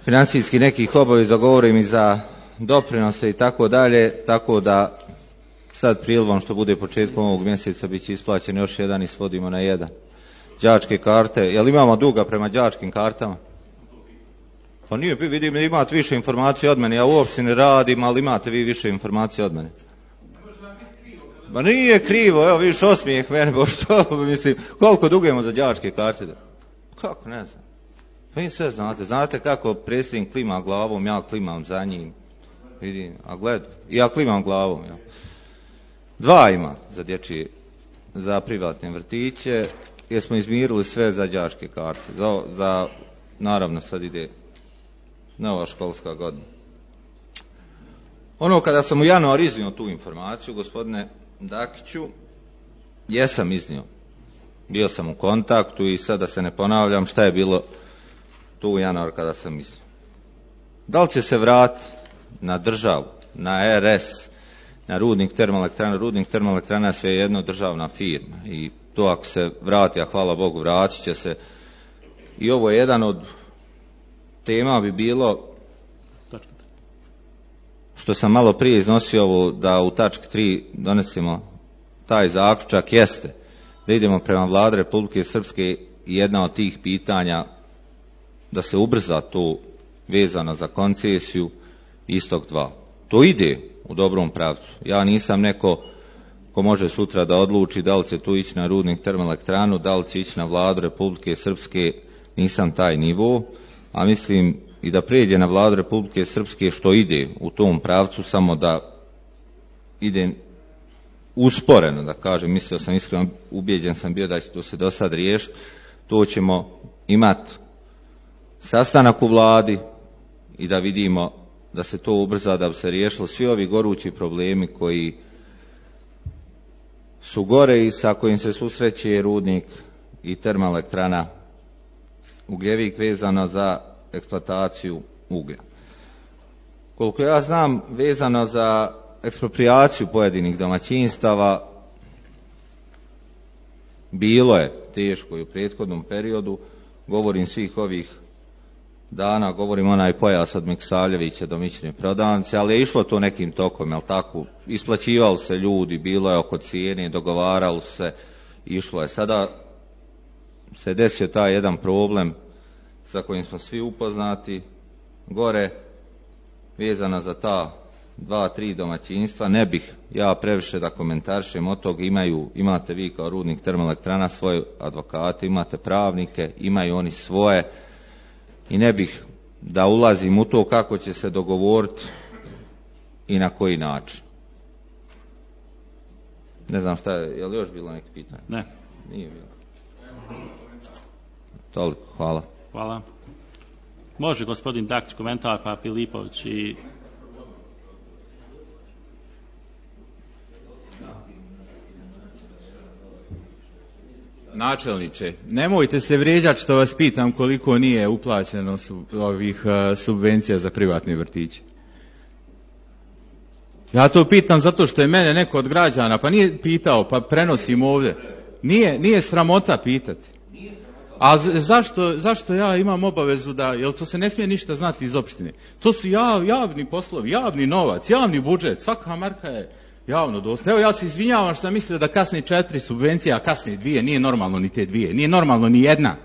financijski nekih obaveza, govorim i za doprinose i tako dalje, tako da sad prilivom što bude početkom ovog mjeseca bit će isplaćen još jedan i svodimo na 1. Đačke karte, jel imamo duga prema đačkim kartama? Pa nije, vidim da imate više informacije od mene, ja uopšte ne radim, ali imate vi više informacije od mene. Ma nije krivo, evo vidiš osmijeh mene, bo što, mislim, koliko dugujemo za đačke karte? Kako, ne znam. Pa vi sve znate kako predsjednik klima glavom, ja klimam za njim, vidim, a gled, ja klimam glavom, ja. 2 ima za dječje, za privatne vrtiće, jer smo izmirili sve za đačke karte, za naravno sad ide nova školska godina. Ono kada sam u januar iznio tu informaciju, gospodine Dakiću, jesam iznio. Bio sam u kontaktu i sada se ne ponavljam šta je bilo tu u januar kada sam iznio. Da li će se vratiti na državu, na RS, na rudnik termoelektrana? Rudnik termoelektrana je sve jedno državna firma i to ako se vrati, a hvala Bogu vratit će se. I ovo je jedan od tema bi bilo što sam malo prije iznosio ovo da u tački 3 donesemo taj zaključak, jeste da idemo prema Vladi Republike Srpske i jedna od tih pitanja da se ubrza to vezano za koncesiju Istok 2. To ide u dobrom pravcu. Ja nisam neko ko može sutra da odluči da li će tu ići na rudnik termoelektranu, da li će ići na Vladu Republike Srpske, nisam taj nivo, a mislim i da prijeđe na Vladu Republike Srpske što ide u tom pravcu, samo da ide usporeno, da kažem, mislio sam iskreno, ubijeđen sam bio da će to se do sad riješiti, to ćemo imati sastanak u Vladi i da vidimo da se to ubrza, da bi se riješilo svi ovi gorući problemi koji su gore i sa kojim se susreće rudnik i termoelektrana Ugljevik vezano za eksploataciju uglja. Koliko ja znam, vezano za eksproprijaciju pojedinih domaćinstava, bilo je teško i u prethodnom periodu, govorim svih ovih dana, govorim onaj pojas od Miksavljevića do Mićne prodavnice, ali je išlo to nekim tokom, jel tako? Isplaćivali se ljudi, bilo je oko cijene, dogovaralo se, išlo je. Sada se desio taj jedan problem sa kojim smo svi upoznati, gore, vezana za ta 2-3 domaćinstva, ne bih ja previše da komentarišem od toga, imate vi kao rudnik termoelektrana svoje advokate, imate pravnike, imaju oni svoje i ne bih da ulazim u to kako će se dogovoriti i na koji način. Ne znam šta je li još bilo neki pitanje? Ne. Nije bilo. Toliko, hvala. Hvala. Može gospodin Dakić komentar, pa Filipović i... Načelniče, nemojte se vrijeđati što vas pitam koliko nije uplaćeno ovih subvencija za privatni vrtići. Ja to pitam zato što je mene neko od građana, pa nije pitao, pa prenosim ovdje. Nije sramota pitati. A zašto ja imam obavezu da, jel to se ne smije ništa znati iz opštine? To su javni poslovi, javni novac, javni budžet, svaka marka je javno dostupna. Evo ja se izvinjavam što sam mislio da kasne 4 subvencije, a kasne 2, nije normalno ni te 2, nije normalno ni jedna.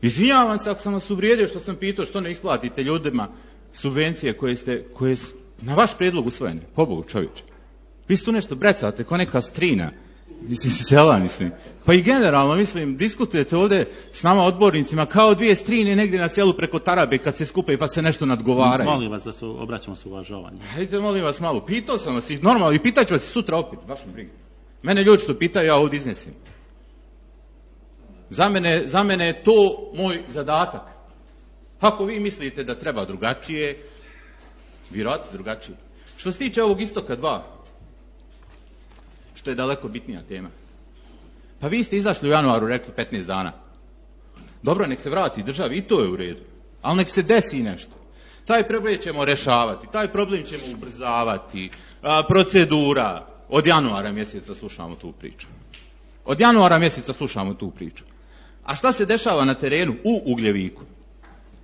Izvinjavam se ako sam vas uvrijedio što sam pitao što ne isplatite ljudima subvencije koje su na vaš prijedlog usvojene, pobogu čovječe. Vi su tu nešto brecate, ko neka strina, sela, Pa i generalno, diskutujete ovdje s nama odbornicima kao 2 strine negdje na selu preko tarabe kad se skupe pa se nešto nadgovaraju. Molim vas da se obraćamo s uvažavanjem. Hajde, molim vas malo, pitao sam vas i normalno i pitat ću vas sutra opet, baš mi briga. Mene ljudi što pitaju, ja ovdje iznesim. Za mene je to moj zadatak. Ako vi mislite da treba drugačije, vjerojatno drugačije. Što se tiče ovog Istoka 2, što je daleko bitnija tema. Pa vi ste izašli u januaru, rekli 15 dana. Dobro, nek se vrati državi, i to je u redu. Ali nek se desi nešto. Taj problem ćemo rešavati, taj problem ćemo ubrzavati, procedura. Od januara mjeseca slušamo tu priču. A šta se dešava na terenu u Ugljeviku?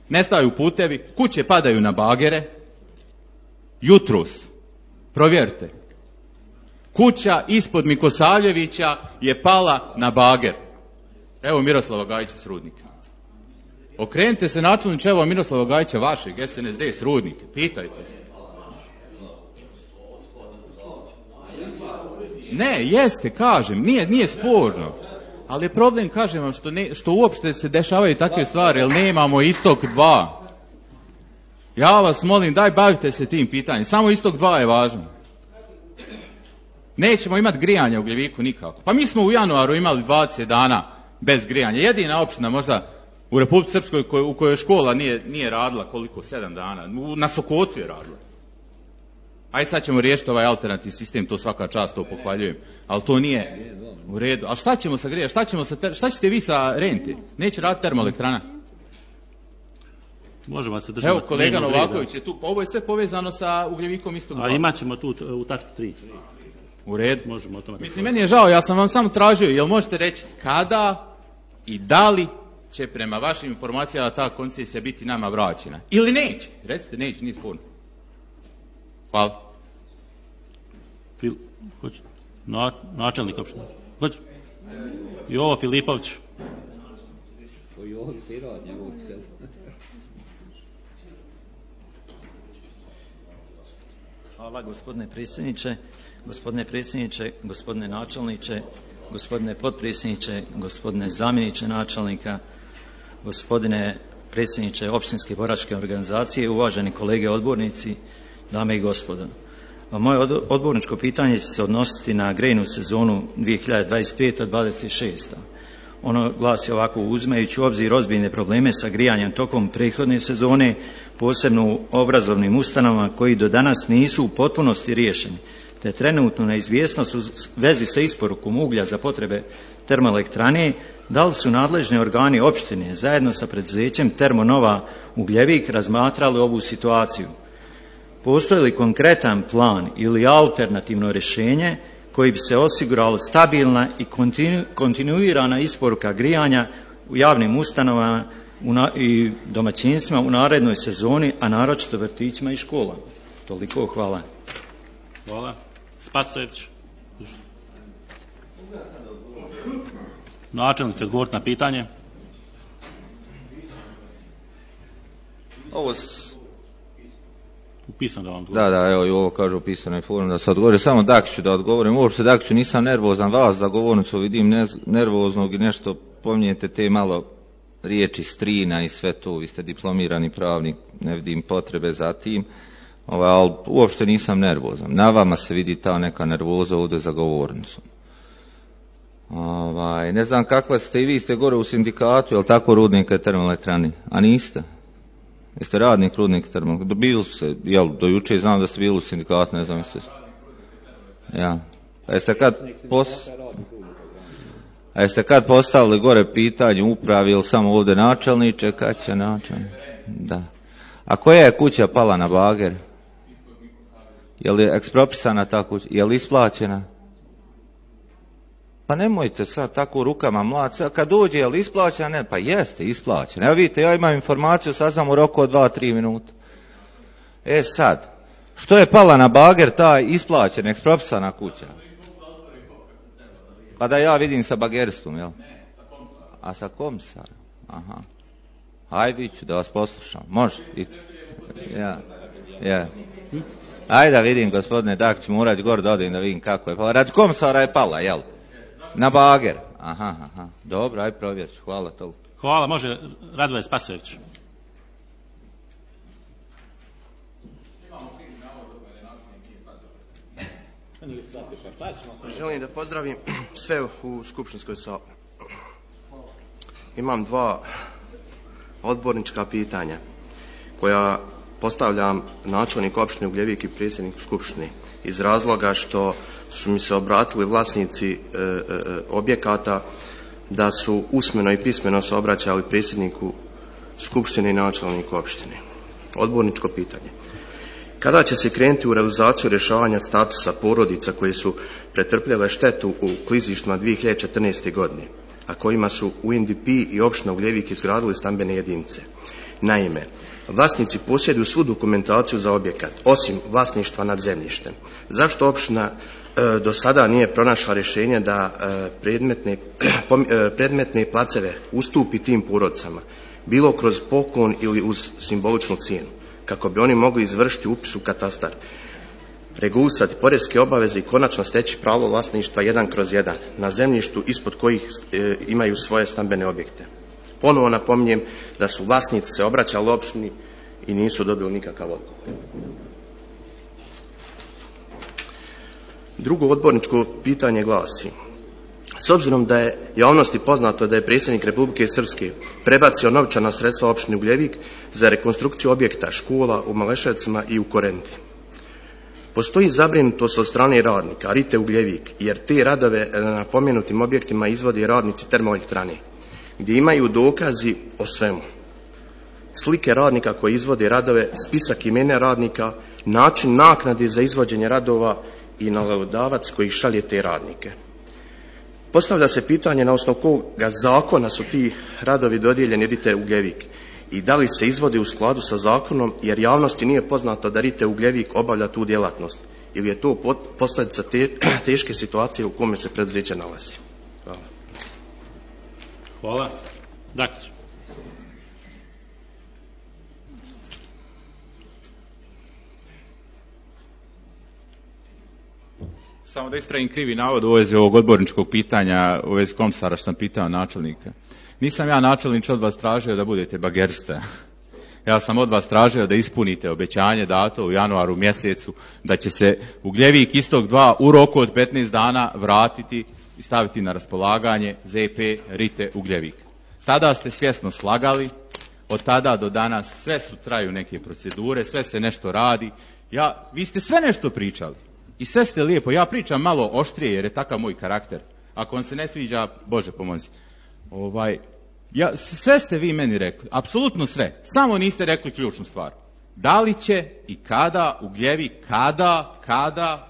Nestaju putevi, kuće padaju na bagere. Jutros, provjerite, kuća ispod Mikosavljevića je pala na bager. Evo Miroslava Gajića s Rudnika. Okrenite se načelniče, evo Miroslava Gajića vašeg, SNSD s Rudnika, pitajte. Ne, jeste, kažem, nije sporno. Ali je problem, kažem vam, što uopšte se dešavaju takve stvari, jer nemamo Istok 2. Ja vas molim, daj bavite se tim pitanjem. Samo Istok 2 je važno. Nećemo imati grijanje u Ugljeviku nikako. Pa mi smo u januaru imali 20 dana bez grijanja. Jedina opština možda u Republici Srpskoj u kojoj škola nije radila koliko? 7 dana. Na Sokocu je radila. Ajde sad ćemo riješiti ovaj alternativni sistem, to svaka čast, to pohvaljujem. Ali to nije u redu. A šta ćemo sa grijanja? Šta ćete vi sa rente? Neće raditi termoelektrana? Možemo se držati. Evo, kolega Novaković je tu. Ovo je sve povezano sa Ugljevikom Istok 2. A imat ćemo tu u tački 3. U redu. Možemo o tome. Meni je žao, ja sam vam samo tražio, jel možete reći kada i da li će prema vašim informacijama ta koncesija biti nama vraćena? Ili neće? Recite neće, nije sporno. Hvala. Načelnik opštine. Hoće. Jovo Filipović. Hvala gospodine predsjedniče, gospodine načelniče, gospodine potpredsjedniče, gospodine zamjeniče načelnika, gospodine predsjedniče općinske boračke organizacije, uvaženi kolege odbornici, dame i gospodo. Moje odborničko pitanje će se odnositi na grejnu sezonu 2025-26. Ono glasi ovako: uzimajući u obzir ozbiljne probleme sa grijanjem tokom prethodne sezone, posebno u obrazovnim ustanovama koji do danas nisu u potpunosti riješeni, te trenutnu neizvjesnost u vezi sa isporukom uglja za potrebe termoelektrane, da li su nadležni organi opštine zajedno sa preduzećem Termonova Ugljevik razmatrali ovu situaciju? Postoji li konkretan plan ili alternativno rješenje koji bi se osigurala stabilna i kontinuirana isporuka grijanja u javnim ustanovama i domaćinstvima u narednoj sezoni, a naročito vrtićima i školama? Toliko, hvala. Hvala. Spasojević. Načelnik će odgovoriti na pitanje. Ovo upisano da vam odgovorim. Da, evo i ovo kaže u pisanoj formi da se odgovori. Samo Dakiću da odgovorim. Uopšte Dakiću nisam nervozan, vas za govornicu vidim nervoznog i nešto pominjete te malo riječi strina i sve to. Vi ste diplomirani pravnik, ne vidim potrebe za tim. Ali uopšte nisam nervozan. Na vama se vidi ta neka nervoza ovdje za govornicom. Ne znam kakva ste i vi ste gore u sindikatu, jel tako, Rudnika i termoelektrani? A niste? Jeste radnik rudnik termoelektrane? Bili ste, jel, do juče znam da ste bili u sindikatu, ne znam jeste. Ja. A jeste kad postavili gore pitanje upravi ili samo ovdje načelniče, kad će načelnik? Da. A koja je kuća pala na bager? Je li ekspropisana ta kuća? Je li isplaćena? Pa nemojte sad tako rukama mlati. Kad dođe, je li isplaćena? Ne, pa jeste isplaćena. Evo vidite, ja imam informaciju, sad sam u roku od 2-3 minuta. Sad, što je pala na bager ta isplaćena, ekspropisana kuća? Pa da ja vidim sa bageristom, jel? A sa komisarom? Aha. Ajde, ću da vas poslušam. Može? Ja. Ajde da vidim, gospodine Dakić, morat gore da odim da vidim kako je pala. Radi komisara je pala, jel? Na bager. Aha. Dobro, ajde provjerit ću. Hvala toliko. Hvala, može Radovan Spasojević. Želim da pozdravim sve u skupštinskoj sali. Imam 2 odbornička pitanja koja postavljam načelniku opštine Ugljevik i predsjedniku skupštine iz razloga što su mi se obratili vlasnici objekata da su usmeno i pismeno se obraćali predsjedniku skupštine i načelniku opštine. Odborničko pitanje. Kada će se krenuti u realizaciju rješavanja statusa porodica koje su pretrpljele štetu u klizištima 2014. godine, a kojima su UNDP i opština Ugljevik izgradili stambene jedinice? Naime, vlasnici posjeduju svu dokumentaciju za objekat, osim vlasništva nad zemljištem. Zašto opština do sada nije pronašla rješenje da predmetne placeve ustupi tim porodicama, bilo kroz poklon ili uz simboličnu cijenu, kako bi oni mogli izvršiti upis u katastar, regulisati poreske obaveze i konačno steći pravo vlasništva 1/1 na zemljištu ispod kojih imaju svoje stambene objekte? Ponovo napominjem da su vlasnici se obraćali opštini i nisu dobili nikakav odgovor. Drugo odborničko pitanje glasi: s obzirom da je javnosti poznato da je predsjednik Republike Srpske prebacio novčana sredstva opštini Ugljevik za rekonstrukciju objekta škola u Maleševcima i u Korenti, postoji zabrinutost od strane radnika Rite Ugljevik, jer te radove na pomenutim objektima izvode radnici termoelektrane, gdje imaju dokazi o svemu. Slike radnika koji izvode radove, spisak imena radnika, način naknade za izvođenje radova i nalogodavac koji šalje te radnike. Postavlja se pitanje na osnovu koga zakona su ti radovi dodijeljeni Rite Ugljevik i da li se izvode u skladu sa zakonom, jer javnosti nije poznato da Rite Ugljevik obavlja tu djelatnost, ili je to posljedica teške situacije u kome se preduzeće nalazi. Hvala. Hvala. Dakić. Samo da ispravim krivi navod u vezi ovog odborničkog pitanja, u vezi komisara što sam pitao načelnika. Nisam ja načelniče od vas tražio da budete bagerista. Ja sam od vas tražio da ispunite obećanje dato u januaru mjesecu da će se Ugljevik istog 2 u roku od 15 dana vratiti i staviti na raspolaganje ZP Rite Ugljevik. Tada ste svjesno slagali, od tada do danas sve su traju neke procedure, sve se nešto radi. Vi ste sve nešto pričali i sve ste lijepo. Ja pričam malo oštrije jer je takav moj karakter. Ako vam se ne sviđa, Bože pomozi. Sve ste vi meni rekli, apsolutno sve, samo niste rekli ključnu stvar. Da li će i kada Ugljevik,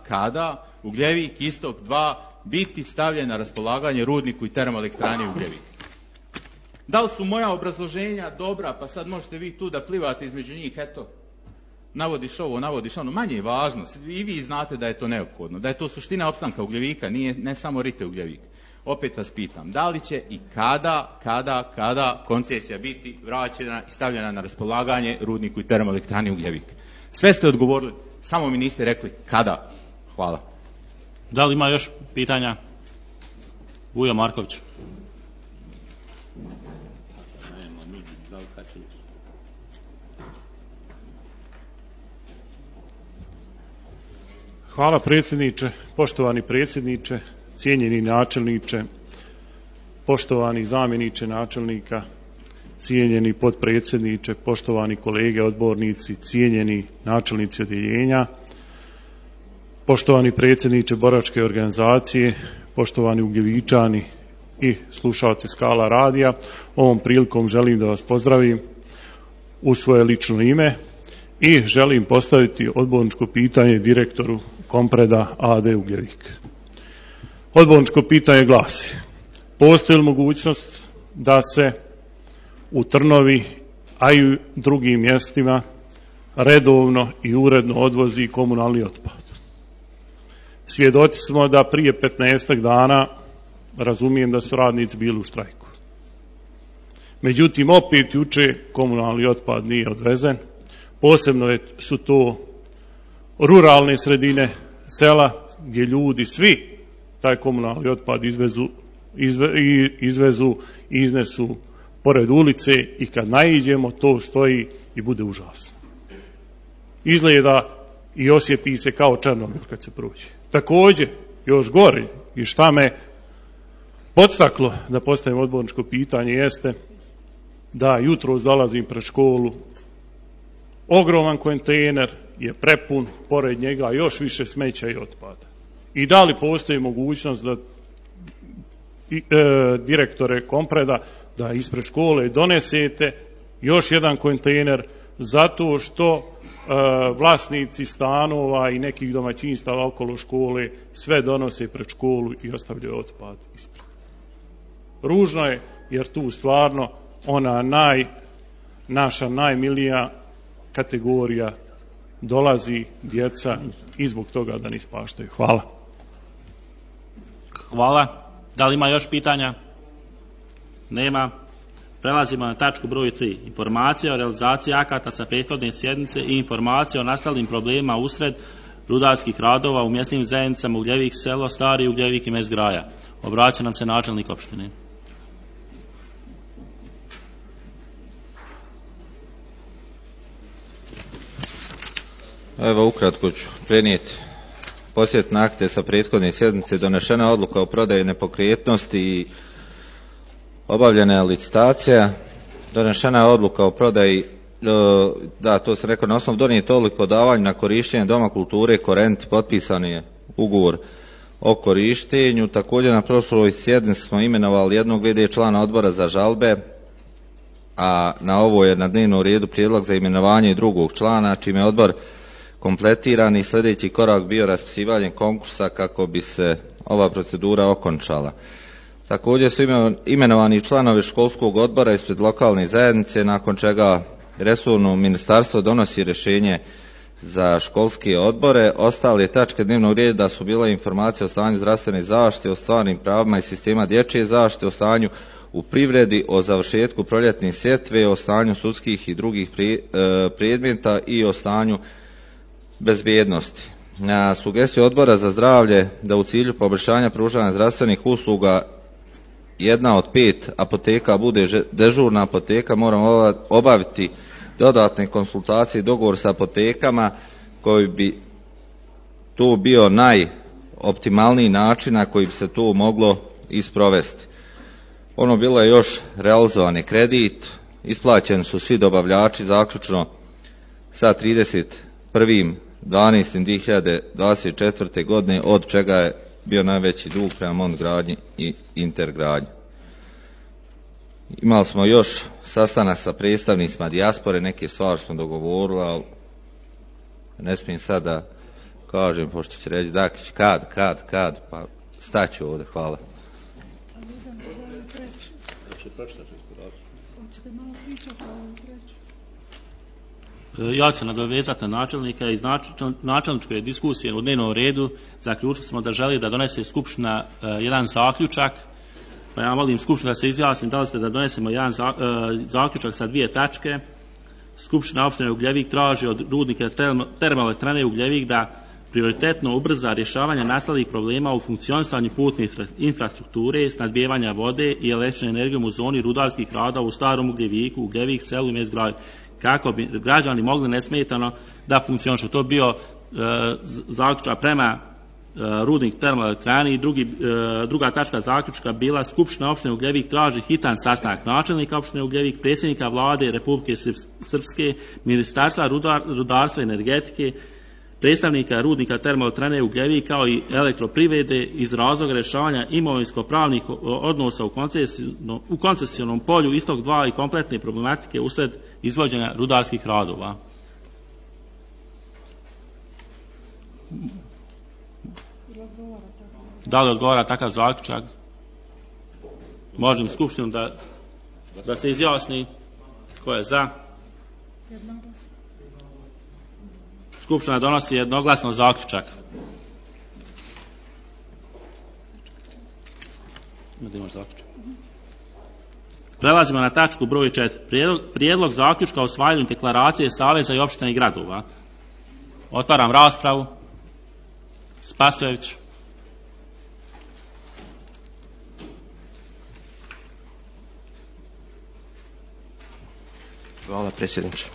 kada Ugljevik istok 2 biti stavljen na raspolaganje rudniku i termoelektrani Ugljevik? Da li su moja obrazloženja dobra, pa sad možete vi tu da plivate između njih, eto, navodiš ovo, navodiš ono, manje je važno, i vi znate da je to neophodno, da je to suština opstanka Ugljevika, ne samo Rite Ugljevik. Opet vas pitam, da li će i kada koncesija biti vraćena i stavljena na raspolaganje rudniku i termoelektrani Ugljevik? Sve ste odgovorili, samo mi niste rekli kada. Hvala. Da li ima još pitanja? Vujo Marković. Hvala predsjedniče, poštovani predsjedniče, cijenjeni načelniče, poštovani zamjeniče načelnika, cijenjeni potpredsjedniče, poštovani kolege odbornici, cijenjeni načelnici odjeljenja, poštovani predsjedniče boračke organizacije, poštovani ugljevičani i slušalci Skala radija, ovom prilikom želim da vas pozdravim u svoje lično ime i želim postaviti odborničko pitanje direktoru Kompreda AD Ugljevik. Odborničko pitanje glasi: postoji li mogućnost da se u Trnovi, a i u drugim mjestima redovno i uredno odvozi komunalni otpad? Svjedoci smo da prije 15 dana, razumijem da su radnici bili u štrajku. Međutim, opet juče komunalni otpad nije odvezen. Posebno su to ruralne sredine, sela, gdje ljudi svi taj komunalni otpad izvezu i iznesu pored ulice i kad naiđemo to stoji i bude užasno. Izgleda i osjeti se kao Černobil kad se prođe. Također, još gore i šta me podstaklo da postavim odborničko pitanje jeste da jutros dolazim pred školu, ogroman kontejner je prepun, pored njega još više smeća i otpada. I da li postoji mogućnost da direktore Kompreda da ispred škole donesete još jedan kontejner zato što vlasnici stanova i nekih domaćinstava okolo škole sve donose pred školu i ostavljaju otpad ispred. Ružno je jer tu stvarno ona naša najmilija kategorija dolazi djeca i zbog toga da ne ispaštaju. Hvala. Hvala. Da li ima još pitanja? Nema. Prelazimo na tačku broj 3. Informacija o realizaciji akata sa prethodne sjednice i informacija o nastalim problemima usred rudarskih radova u mjesnim zajednicama Ugljevik selo, Stari Ugljevik i Mezgraja. Obraća nam se načelnik opštine. Evo, ukratko ću prenijeti podsjetne akte sa prethodne sjednice. Donešena odluka o prodaji nepokretnosti i obavljena je licitacija. Donešena je odluka o prodaji, da, to sam rekao, na osnovu donijete odluke o davanju na korištenje Doma kulture Korent, potpisan je ugovor o korištenju. Također na prošloj sjednici smo imenovali jednog v.d. člana odbora za žalbe, a na ovo je na dnevnom redu prijedlog za imenovanje drugog člana, čime je odbor kompletiran i sljedeći korak bio raspisivanje konkursa kako bi se ova procedura okončala. Također su imenovani članovi školskog odbora ispred lokalne zajednice, nakon čega resorno ministarstvo donosi rješenje za školske odbore. Ostale tačke dnevnog reda su bile informacije o stanju zdravstvene zaštite, o stvarnim pravima i sistema dječje zaštite, o stanju u privredi, o završetku proljetne sjetve, o stanju sudskih i drugih predmeta i o stanju bezbjednosti. Na sugestiju odbora za zdravlje da u cilju poboljšanja pružanja zdravstvenih usluga jedna od 5 apoteka bude dežurna apoteka, moramo obaviti dodatne konsultacije i dogovor sa apotekama koji bi tu bio najoptimalniji način na koji bi se tu moglo isprovesti. Ono bilo je još realizovani kredit, isplaćeni su svi dobavljači zaključno sa 31.12.2024. godine, od čega je bio najveći dug prema Montgradnji i Intergradnji. Imali smo još sastanak sa predstavnicima dijaspore, neke stvari smo dogovorili, ali ne smijem sad da kažem, pošto će reći Dakić, kad, pa staću ovdje, hvala. Ja ću se nadovezati na načelnika. Iz načelničke diskusije u dnevnom redu zaključili smo da želi da donese skupština jedan zaključak, pa ja molim skupštinu da se izjasnim da li ste da donesemo jedan zaključak sa 2 tačke. Skupština opštine Ugljevik traži od rudnika termoelektrane Ugljevik da prioritetno ubrza rješavanje nastalih problema u funkcionisanju putne infrastrukture, snabdijevanja vode i električne energijom u zoni rudarskih radova u Starom Ugljeviku, Ugljevik selu i Mezgraju, kako bi građani mogli nesmetano da funkcionišu. To bio zaključak prema rudnik termoelektrani i druga tačka zaključka bila Skupština opštine Ugljevik traži hitan sastanak načelnika opštine Ugljevik, predsjednika vlade Republike Srpske, Ministarstva rudarstva i energetike, predstavnika rudnika termoelektrane Ugljevik kao i elektroprivrede iz razloga rješavanja imovinsko-pravnih odnosa u koncesijnom polju istog dva i kompletne problematike usred izvođenja rudarskih radova. Da li odgovara takav zaključak? Možem skupštinu da se izjasni. Ko je za? Skupština donosi jednoglasno zaključak. Prelazimo na tačku broj 4. Prijedlog zaključka o usvajanju deklaracije Saveza i opština i gradova. Otvaram raspravu. Spasojević. Hvala, predsjedniče.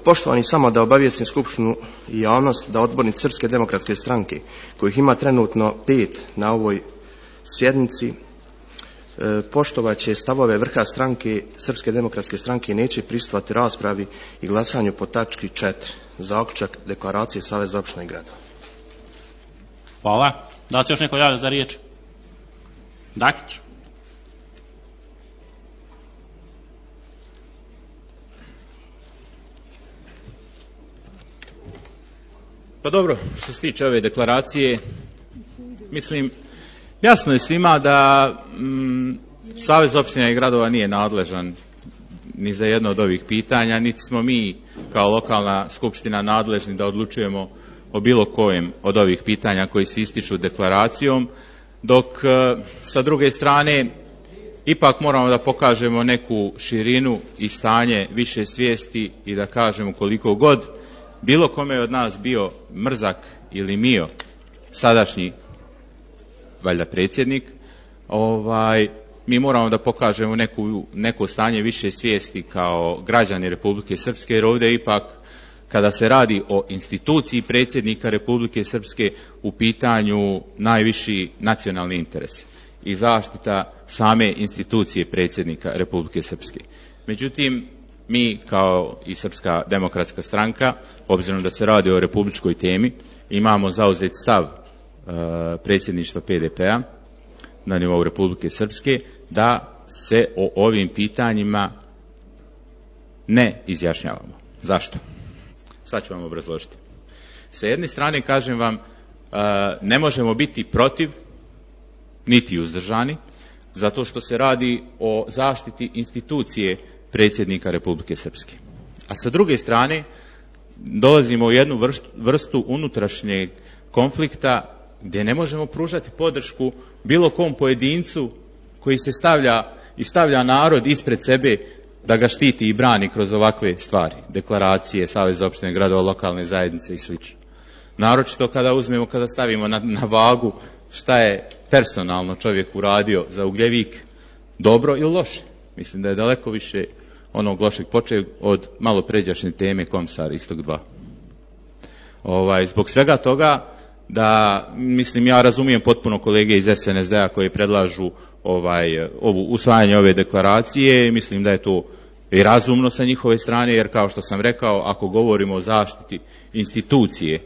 Poštovani, samo da obavijestim Skupštinu i javnost da odbornici Srpske demokratske stranke, kojih ima trenutno 5 na ovoj sjednici, poštovat će stavove vrha stranke Srpske demokratske stranke i neće prisustvovati raspravi i glasanju po tački 4. Zaključak deklaracije Saveza opština i gradova. Hvala. Da li se još neko javlja za riječ? Dakić. Pa dobro, što se tiče ove deklaracije, mislim, jasno je svima da Savez opština i gradova nije nadležan ni za jedno od ovih pitanja, niti smo mi kao lokalna skupština nadležni da odlučujemo o bilo kojem od ovih pitanja koji se ističu deklaracijom, dok sa druge strane ipak moramo da pokažemo neku širinu i stanje više svijesti i da kažemo koliko god bilo kome od nas bio Mrzak ili Mio, sadašnji valjda predsjednik, mi moramo da pokažemo neko stanje više svijesti kao građani Republike Srpske, jer ovdje ipak kada se radi o instituciji predsjednika Republike Srpske u pitanju najviši nacionalni interes i zaštita same institucije predsjednika Republike Srpske. Međutim, mi kao i Srpska demokratska stranka, obzirom da se radi o republičkoj temi, imamo zauzet stav predsjedništva PDP-a na nivou Republike Srpske da se o ovim pitanjima ne izjašnjavamo. Zašto? Sad ću vam obrazložiti. Sa jedne strane, kažem vam, ne možemo biti protiv niti uzdržani, zato što se radi o zaštiti institucije predsjednika Republike Srpske. A sa druge strane, dolazimo u jednu vrstu unutrašnjeg konflikta gdje ne možemo pružati podršku bilo kom pojedincu koji se stavlja narod ispred sebe da ga štiti i brani kroz ovakve stvari, deklaracije, Saveza opštine gradova, lokalne zajednice i sl. Naročito kada stavimo na vagu šta je personalno čovjek uradio za Ugljevik, dobro ili loše. Mislim da je daleko više onog lošeg počeo od malo pređašnje teme Komsar Istok 2. Zbog svega toga ja razumijem potpuno kolege iz SNSD-a koji predlažu usvajanje ove deklaracije i mislim da je to i razumno sa njihove strane, jer kao što sam rekao, ako govorimo o zaštiti institucije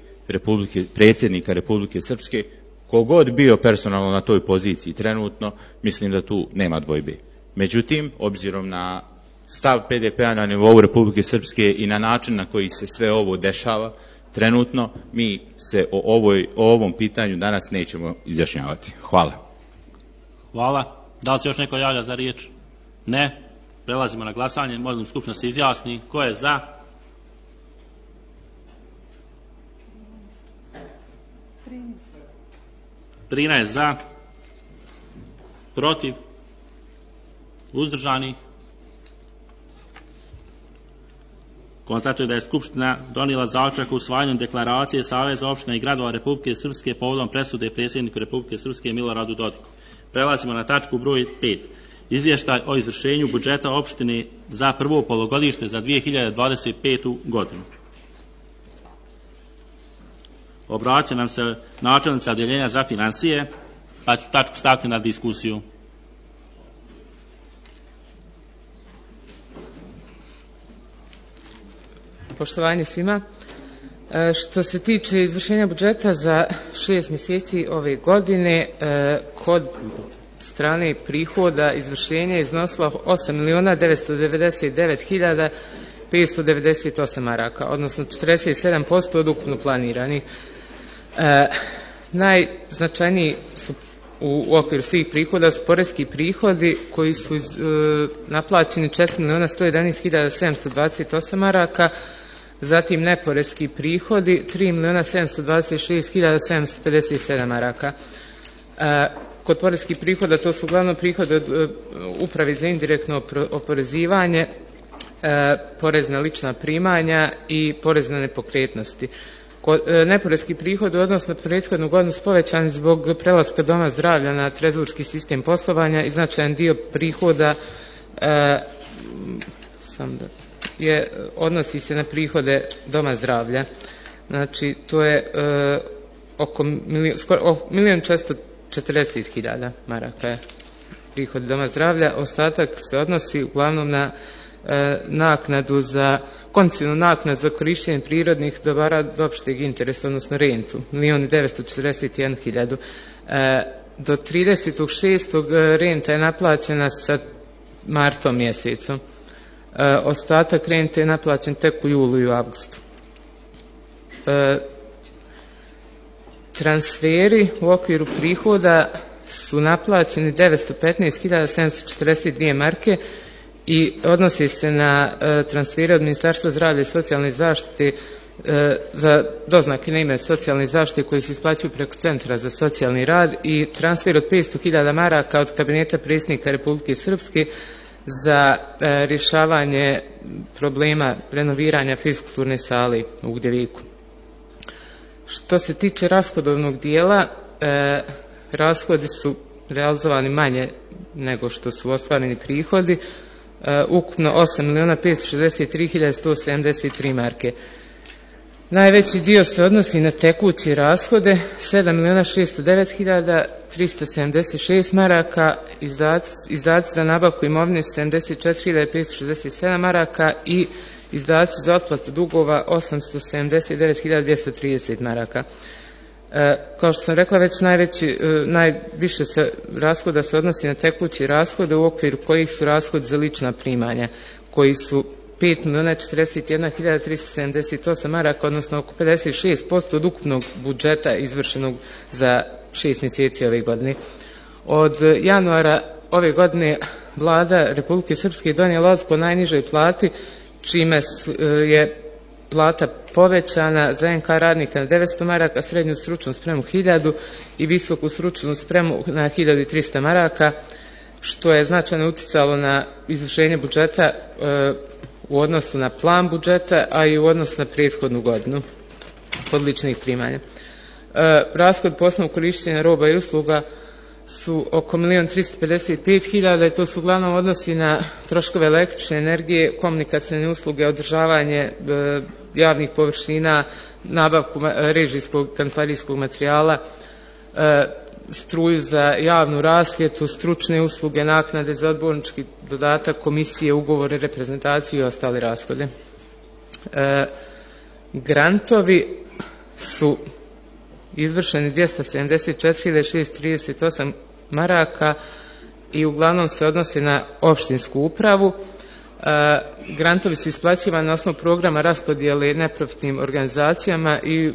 predsjednika Republike Srpske, kogod bio personalno na toj poziciji trenutno, mislim da tu nema dvojbe. Međutim, obzirom na stav PDP-a na nivou Republike Srpske i na način na koji se sve ovo dešava trenutno, mi se o ovom pitanju danas nećemo izjašnjavati. Hvala. Hvala. Da li se još neko javlja za riječ? Ne. Prelazimo na glasanje. Molim skupština se izjasni. Ko je za? Trinaest za. Protiv? Uzdržani? Konstatujem da je Skupština donijela zaključak o usvajanju deklaracije Saveza opština i gradova Republike Srpske povodom presude predsjedniku Republike Srpske Miloradu Dodiku. Prelazimo na tačku broj 5. Izvještaj o izvršenju budžeta opštine za prvo polugodište za 2025. godinu. Obraća nam se načelnica odjeljenja za financije, pa ću tačku staviti na diskusiju. Poštovanje svima. Što se tiče izvršenja budžeta za 6 mjeseci ove godine, kod strane prihoda izvršenje je iznosilo 8.999.598 maraka, odnosno 47% od ukupno planiranih. Najznačajniji su u okviru svih prihoda su poreski prihodi koji su naplaćeni 4.111.728 maraka, zatim neporeski prihodi 3.726.757 maraka. Kod poreskih prihoda to su uglavnom prihode od uprave za indirektno oporezivanje, porez na lična primanja i porez na nepokretnosti. Neporeski prihod u odnosu na prethodnu godinu su povećani zbog prelaska Doma zdravlja na trezorski sistem poslovanja i značajan dio prihoda odnosi se na prihode Doma zdravlja. Znači, to je oko 1.440.000 maraka je prihod Doma zdravlja. Ostatak se odnosi uglavnom na naknadu za koncesijnu naknadu za korištenje prirodnih dobara od opšteg interesa, odnosno rentu, 1.941.000. Do 30.6. renta je naplaćena sa martom mjesecom. Ostatak rente je naplaćen tek u julu i u avgustu. Transferi u okviru prihoda su naplaćeni 915.742 marke i odnosi se na transfere od Ministarstva zdravlja i socijalne zaštite za doznake na ime socijalne zaštite koji se isplaćuju preko Centra za socijalni rad i transfer od 500.000 maraka od kabineta predsjednika Republike Srpske za rješavanje problema renoviranja fiskulturne sale u Ugljeviku. Što se tiče rashodovnog dijela, rashodi su realizovani manje nego što su ostvareni prihodi, ukupno 8.563.173 marke. Najveći dio se odnosi na tekuće rashode, 7.609.376 maraka, izdaci za nabavku imovine 74.567 maraka i izdaci za otplatu dugova 879.230 maraka. Kao što sam rekla, već najviše rashoda se odnosi na tekuće rashode u okviru kojih su rashodi za lična primanja, koji su 5.041.378 maraka, odnosno oko 56% od ukupnog budžeta izvršenog za 6 mjeseci ove godine. Od januara ove godine Vlada Republike Srpske donijela odluku o najnižoj plati, čime je plata povećana za NK radnika na 900 maraka, srednju stručnu spremu 1000 i visoku stručnu spremu na 1300 maraka, što je značajno uticalo na izvršenje budžeta u odnosu na plan budžeta, a i u odnosu na prethodnu godinu kod ličnih primanja. Rashod po osnovu korištenja roba i usluga su oko 1.355.000 i to su uglavnom odnosi na troškove električne energije, komunikacijne usluge, održavanje javnih površina, nabavku režijskog kancelarijskog materijala, struju za javnu rasvjetu, stručne usluge, naknade za odbornički dodatak, komisije, ugovore, reprezentaciju i ostale rashode. Grantovi su izvršeni 274.638 maraka i uglavnom se odnose na opštinsku upravu. Grantovi su isplaćivani na osnovu programa raspodijele neprofitnim organizacijama i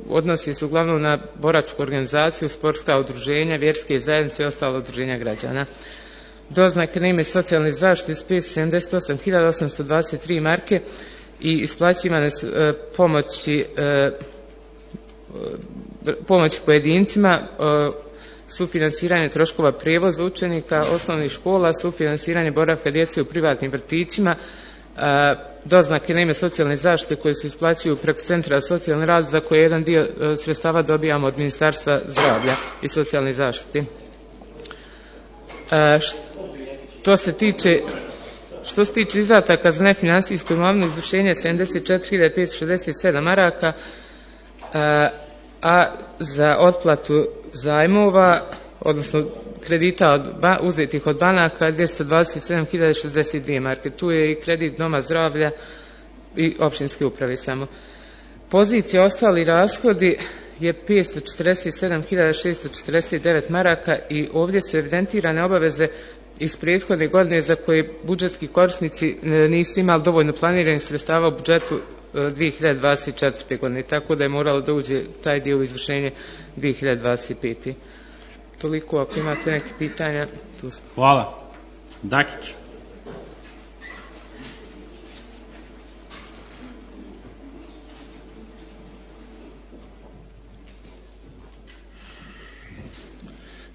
odnosi se uglavnom na boračku organizaciju, sportska udruženja, vjerske zajednice i ostala udruženja građana. Doznake na ime socijalne zaštite su 578.823 marke i isplaćivane su pomoć pojedincima, sufinansiranje troškova prijevoza učenika osnovnih škola, sufinansiranje boravka djece u privatnim vrtićima, doznake na ime socijalne zaštite koje se isplaćuju preko Centra za socijalni rad, za koje jedan dio sredstava dobijamo od Ministarstva zdravlja i socijalne zaštite. Što se tiče izdataka za nefinansijsku imovinu, izvršenje 74.567 maraka, a za otplatu zajmova, odnosno kredita uzetih od banaka 227.062 marke. Tu je i kredit Doma zdravlja i općinske uprave samo. Pozicija ostali rashodi je 547.649 maraka i ovdje su evidentirane obaveze iz prethodne godine za koje budžetski korisnici nisu imali dovoljno planiranih sredstava u budžetu 2024. godine, tako da je moralo da uđe taj dio u izvršenje 2025. Toliko, ako imate neke pitanja. Tu smo. Hvala. Dakić.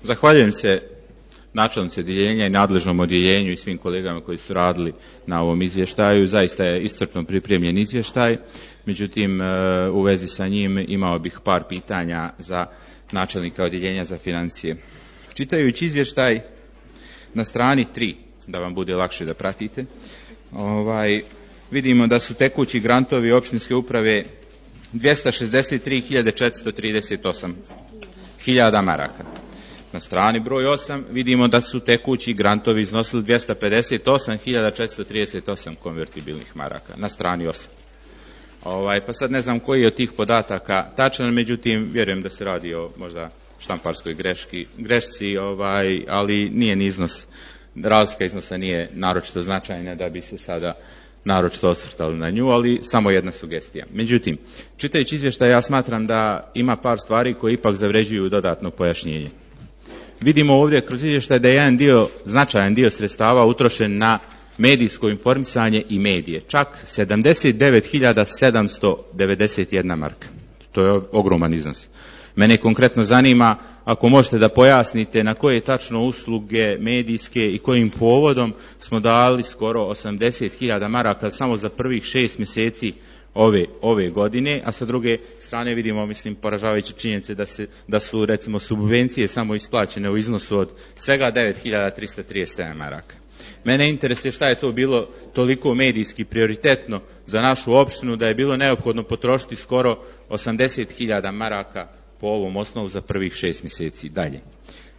Zahvaljujem se načelnici odjeljenja i nadležnom odjeljenju i svim kolegama koji su radili na ovom izvještaju. Zaista je iscrpno pripremljen izvještaj, međutim u vezi sa njim imao bih par pitanja za načelnika odjeljenja za financije. Čitajući izvještaj na strani 3, da vam bude lakše da pratite, vidimo da su tekući grantovi općinske uprave 263.438 hiljada maraka. Na strani broj 8 vidimo da su tekući grantovi iznosili 258.438 konvertibilnih maraka. Na strani 8. Pa sad ne znam koji je od tih podataka tačan, međutim vjerujem da se radi o možda štamparskoj grešci, ali nije ni iznos, razlika iznosa nije naročito značajna da bi se sada naročito osvrtali na nju, ali samo jedna sugestija. Međutim, čitajući izvještaj ja smatram da ima par stvari koje ipak zavređuju dodatno pojašnjenje. Vidimo ovdje kroz izvještaj da je jedan značajan dio sredstava utrošen na medijsko informisanje i medije. Čak 79.791 marka. To je ogroman iznos. Mene konkretno zanima, ako možete da pojasnite na koje tačno usluge medijske i kojim povodom smo dali skoro 80.000 maraka samo za prvih 6 mjeseci ove godine, a sa druge strane vidimo, poražavajuće činjenice da su recimo subvencije samo isplaćene u iznosu od svega 9.337 maraka. Mene interesuje šta je to bilo toliko medijski prioritetno za našu opštinu da je bilo neophodno potrošiti skoro 80.000 maraka po ovom osnovu za prvih 6 mjeseci. Dalje.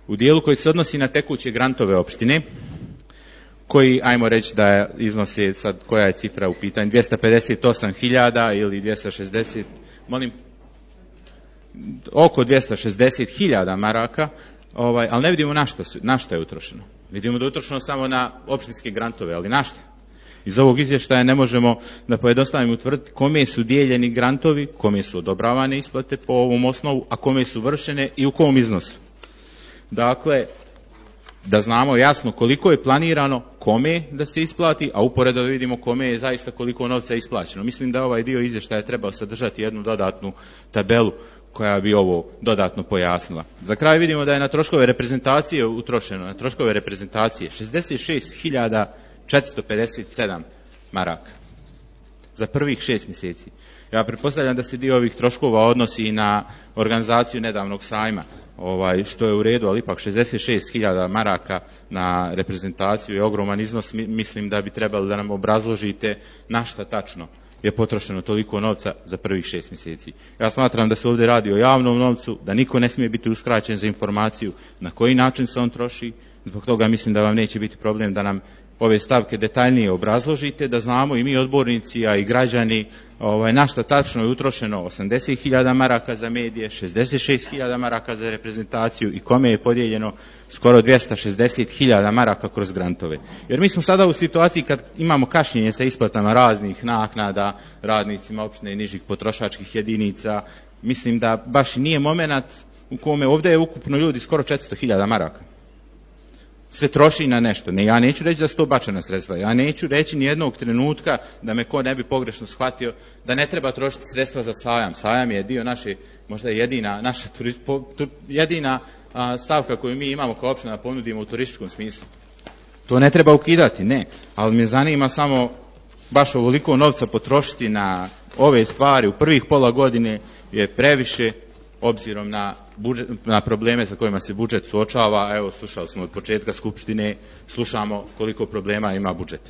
U dijelu koji se odnosi na tekuće grantove opštine, koji, ajmo reći da iznose, sad koja je cifra u pitanju, 258.000 ili 260, oko 260.000 maraka, ali ne vidimo na što je utrošeno. Vidimo da je utrošeno samo na opštinske grantove, ali na što? Iz ovog izvještaja ne možemo da pojednostavimo utvrditi kome su dijeljeni grantovi, kome su odobravane isplate po ovom osnovu, a kome su vršene i u kom iznosu. Dakle, da znamo jasno koliko je planirano kome da se isplati, a uporedo da vidimo kome je zaista koliko novca isplaćeno. Mislim da ovaj dio izvještaja trebao sadržati jednu dodatnu tabelu koja bi ovo dodatno pojasnila. Za kraj vidimo da je na troškove reprezentacije utrošeno, na troškove reprezentacije 66.457 maraka za prvih 6 mjeseci. Ja pretpostavljam da se dio ovih troškova odnosi i na organizaciju nedavnog sajma, što je u redu, ali ipak 66.000 maraka na reprezentaciju je ogroman iznos. Mislim da bi trebali da nam obrazložite na šta tačno je potrošeno toliko novca za prvih 6 mjeseci. Ja smatram da se ovdje radi o javnom novcu, da niko ne smije biti uskraćen za informaciju na koji način se on troši. Zbog toga mislim da vam neće biti problem da nam ove stavke detaljnije obrazložite, da znamo i mi odbornici, a i građani na šta tačno je utrošeno 80.000 maraka za medije, 66.000 maraka za reprezentaciju i kome je podijeljeno skoro 260.000 maraka kroz grantove. Jer mi smo sada u situaciji kad imamo kašnjenje sa isplatama raznih naknada radnicima opštine i nižih potrošačkih jedinica. Mislim da baš nije momenat u kome ovdje je ukupno ljudi skoro 400.000 maraka se troši na nešto. Ja neću reći da su to bačena sredstva. Ja neću reći ni jednog trenutka da me ko ne bi pogrešno shvatio da ne treba trošiti sredstva za sajam. Sajam je dio naše, možda jedina stavka koju mi imamo kao opština da ponudimo u turističkom smislu. To ne treba ukidati, ne. Ali me zanima samo baš ovoliko novca potrošiti na ove stvari u prvih pola godine je previše, obzirom na probleme sa kojima se budžet suočava. Evo, slušali smo od početka skupštine, slušamo koliko problema ima budžet.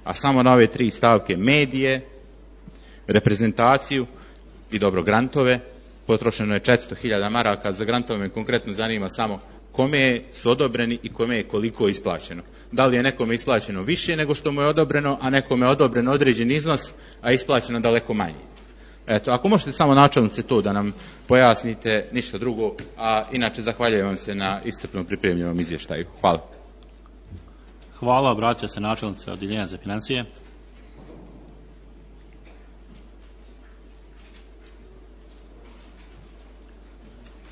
A samo na ove 3 stavke, medije, reprezentaciju i grantove, potrošeno je 400.000 maraka, za grantove me konkretno zanima samo kome su odobreni i kome je koliko isplaćeno. Da li je nekome isplaćeno više nego što mu je odobreno, a nekome je odobren određen iznos, a isplaćeno daleko manje. Eto, ako možete samo načelnice to da nam pojasnite, ništa drugo, a inače zahvaljujem vam se na iscrpno pripremljenom izvještaju. Hvala. Hvala, obraća se načelnica Odjeljenja za financije.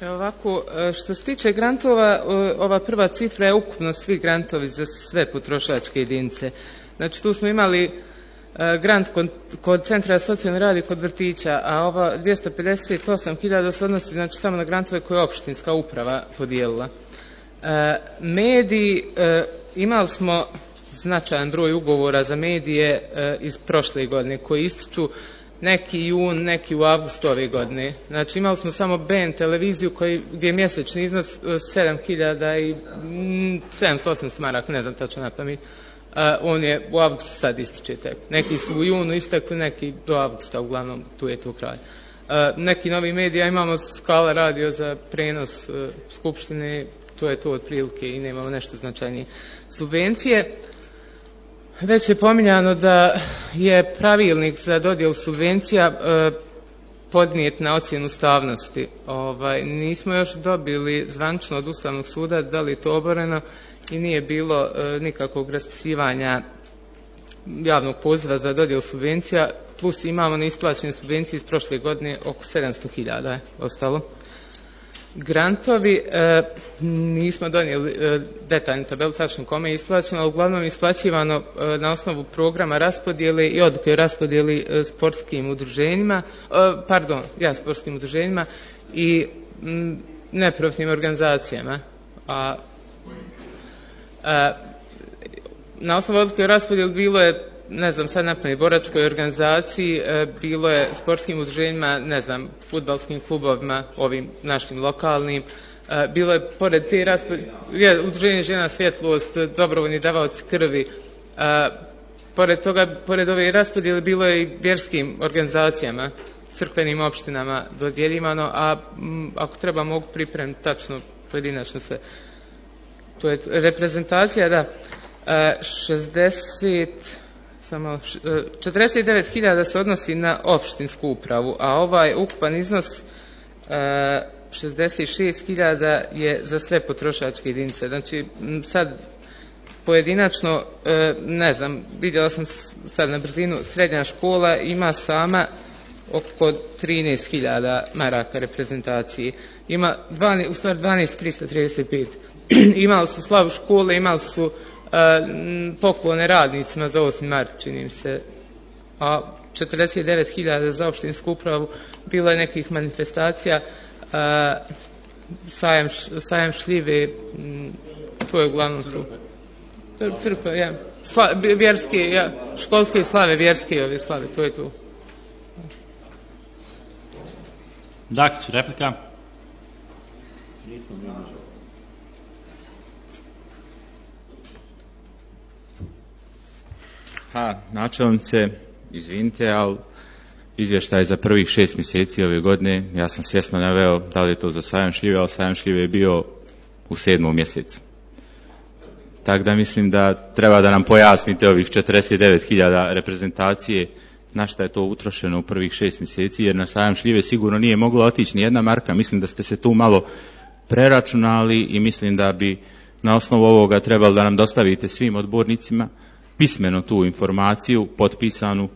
Ovako, što se tiče grantova, ova prva cifra je ukupno svi grantovi za sve potrošačke jedinice. Znači, tu smo imali grant kod Centra za socijalni rad i kod vrtića, a ova 258.000 se odnosi znači samo na grantove koje je opštinska uprava podijelila. Mediji, imali smo značajan broj ugovora za medije iz prošle godine koji ističu neki jun, neki u avgustu ove godine. Znači imali smo samo BN televiziju gdje je mjesečni iznos 7.708 maraka, ne znam tačno na pamet. On je u avgustu sad ističe tek. Neki su u junu istekli, neki do avgusta, uglavnom tu je to kraj. Neki novi medija, imamo Skala radio za prenos skupštine, to je to otprilike i nemamo nešto značajnije. Subvencije, već je pominjano da je pravilnik za dodjelu subvencija podnijet na ocjenu ustavnosti. Nismo još dobili zvanično od Ustavnog suda da li je to oboreno i nije bilo nikakvog raspisivanja javnog poziva za dodjelu subvencija, plus imamo neisplaćene subvencije iz prošle godine, oko 700.000 je ostalo. Grantovi, nismo donijeli detaljnu tabelu tačno kome je isplaćeno, ali uglavnom je isplaćivano na osnovu programa raspodjele i odluke o raspodjeli sportskim udruženjima i neprofitnim organizacijama. Na osnovu odluke o raspodjeli bilo je, ne znam, sad napamet, boračkoj organizaciji, bilo je sportskim udruženjima, ne znam, fudbalskim klubovima, ovim našim lokalnim, bilo je pored te raspodjele, udruženje žena svjetlost, dobrovoljni davaoci krvi, pored toga, pored ove raspodjele bilo je i vjerskim organizacijama, crkvenim opštinama dodjeljivano, a ako treba mogu pripremiti tačno pojedinačno sve. To je reprezentacija, da, 49.000 se odnosi na opštinsku upravu, a ovaj ukupan iznos 66.000 je za sve potrošačke jedinice. Znači, sad pojedinačno, ne znam, vidjela sam sad na brzinu, srednja škola ima sama oko 13.000 maraka reprezentacije. Ima u stvari 12.335. Imali su slavu škole, imali su poklone radnicima za 8. mart, čini mi se, a 49.000 za opštinsku upravu. Bilo je nekih manifestacija, sajam šljive, to je uglavnom tu. Crkva, ja. Vjerske, ja, školske slave, vjerske ove slave, to je tu. Dakić, replika. Načelnice, izvinite, ali izvještaj za prvih 6 mjeseci ove godine, ja sam svjesno naveo da li je to za sajam šljive, ali sajam šljive je bio u 7. mjesecu. Tako da mislim da treba da nam pojasnite ovih 49.000 reprezentacije, na šta je to utrošeno u prvih 6 mjeseci, jer na sajam šljive sigurno nije mogla otići ni jedna marka. Mislim da ste se tu malo preračunali i mislim da bi na osnovu ovoga trebalo da nam dostavite svim odbornicima pismeno tu informaciju, potpisanu,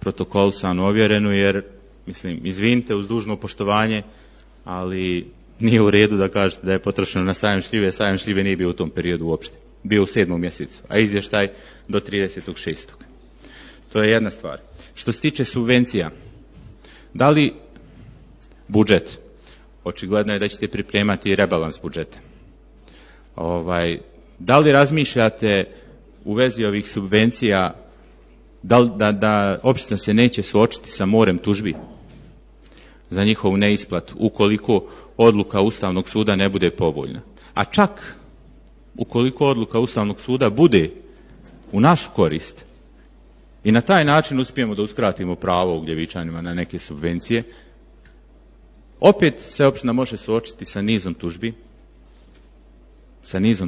protokolisanu, ovjerenu, jer, mislim, izvinite uz dužno poštovanje, ali nije u redu da kažete da je potrošeno na sajam šljive nije bio u tom periodu uopšte. Bio u 7. mjesecu, a izvještaj do 30.6. To je jedna stvar. Što se tiče subvencija, da li budžet, očigledno je da ćete pripremati rebalans budžeta, da li razmišljate u vezi ovih subvencija da opština se neće suočiti sa morem tužbi za njihovu neisplatu ukoliko odluka Ustavnog suda ne bude povoljna. A čak ukoliko odluka Ustavnog suda bude u našu korist i na taj način uspijemo da uskratimo pravo Ugljevičanima na neke subvencije, Opet se opština može suočiti sa nizom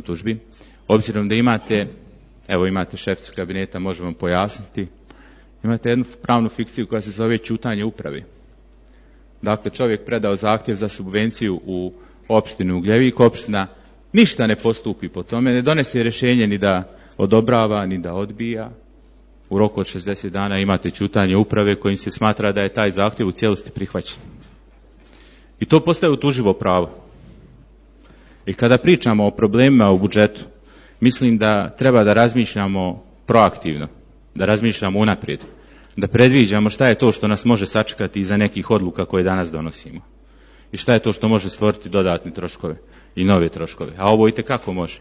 tužbi, obzirom da imate šeficu kabineta, možemo vam pojasniti, imate jednu pravnu fikciju koja se zove ćutanje uprave. Dakle, čovjek predao zahtjev za subvenciju u opštinu Ugljevik, opština ništa ne postupi po tome, ne donese rješenje ni da odobrava, ni da odbija. U roku od 60 dana imate ćutanje uprave kojim se smatra da je taj zahtjev u cijelosti prihvaćen. I to postaje utuživo pravo. I kada pričamo o problemima u budžetu, mislim da treba da razmišljamo proaktivno, da razmišljamo unaprijed, da predviđamo šta je to što nas može sačekati iza nekih odluka koje danas donosimo. I šta je to što može stvoriti dodatne troškove i nove troškove. A ovo itekako može.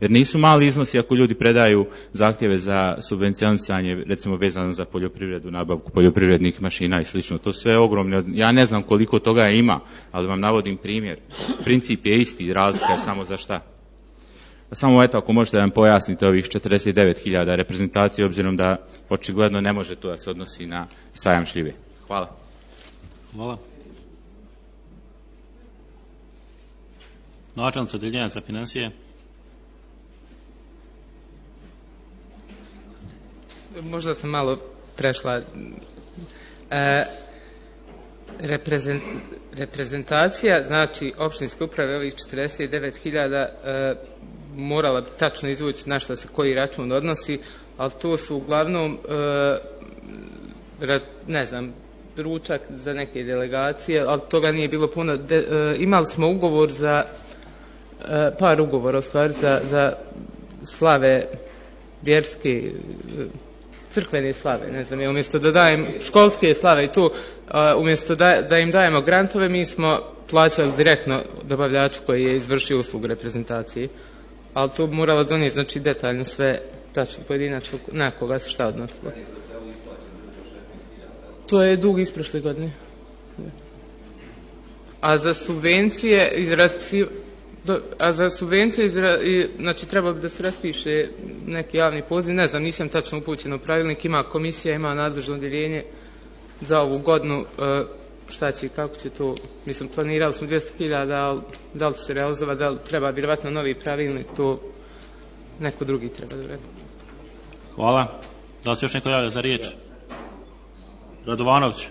Jer nisu mali iznosi ako ljudi predaju zahtjeve za subvencionisanje, recimo vezano za poljoprivredu, nabavku poljoprivrednih mašina i slično. To sve ogromne. Ja ne znam koliko toga ima, ali vam navodim primjer. Princip je isti, razlika je samo za šta. Samo eto, ako možete da vam pojasnite ovih 49.000 reprezentacije, obzirom da očigledno ne može to da se odnosi na sajam šljive. Hvala. Hvala. Načelnica odeljenja za financije. Možda sam malo prešla. Reprezentacija, znači opštinske uprave, ovih 49.000, morala bi tačno izvući na što se koji račun odnosi, ali to su uglavnom, ne znam, ručak za neke delegacije, ali toga nije bilo puno. Imali smo ugovor za, par ugovora u stvari, za slave vjerske, crkvene slave, ne znam, umjesto da dajem školske slave i tu, umjesto da im dajemo grantove, mi smo plaćali direktno dobavljaču koji je izvršio uslugu reprezentacije, ali to moralo donijeti, znači, detaljno sve, tačno pojedinačno na koga se šta odnosilo. To je dug iz prošle godine. A za subvencije znači trebalo bi da se raspiše neki javni poziv, ne znam, nisam tačno upućen u pravilnik, ima komisija, ima nadležno odjeljenje za ovu godinu, šta će i kako će to, mislim, planirali smo 200.000, ali da li će se realizovati, da li treba vjerovatno novi pravilnik, to neko drugi treba da vredi. Hvala. Da li se još neko javlja za riječ? Radovanović.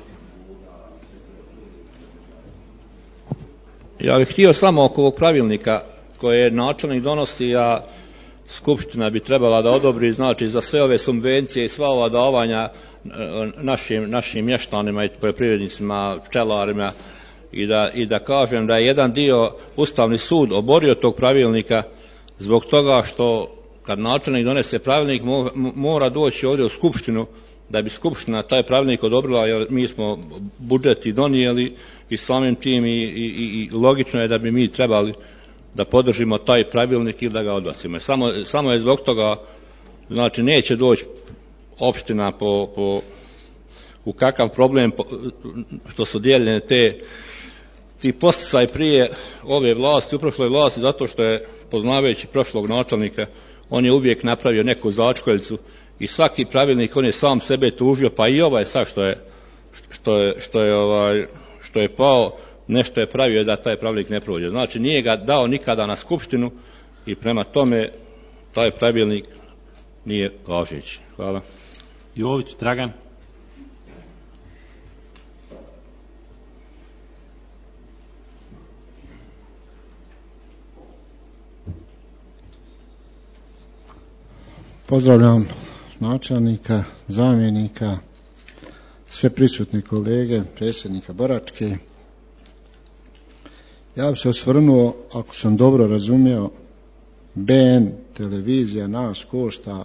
Ja bih htio samo oko ovog pravilnika koje načelnik donosi, a skupština bi trebala da odobri, znači za sve ove subvencije i sva ova davanja našim mještanima i poljoprivrednicima, pčelarima, i da kažem da je jedan dio Ustavni sud oborio tog pravilnika zbog toga što kad načelnik donese pravilnik mora doći ovdje u skupštinu da bi skupština taj pravilnik odobrila, jer mi smo budžet i donijeli i samim tim i logično je da bi mi trebali da podržimo taj pravilnik ili da ga odbacimo. Samo je zbog toga, znači neće doći opština u kakav problem što su dijeljene ti posticaji prije ove vlasti, u prošloj vlasti, zato što je, poznavajući prošlog načelnika, on je uvijek napravio neku začkoljicu i svaki pravilnik on je sam sebe tužio, pa i ovaj sad što je pao, nešto je pravio da taj pravilnik ne prođe. Znači nije ga dao nikada na skupštinu i prema tome taj pravilnik nije važeći. Hvala. Jović Dragan. Pozdravljam načelnika, zamjenika, sve prisutne kolege, predsjednika Boračke. Ja bih se osvrnuo, ako sam dobro razumio, BN televizija nas košta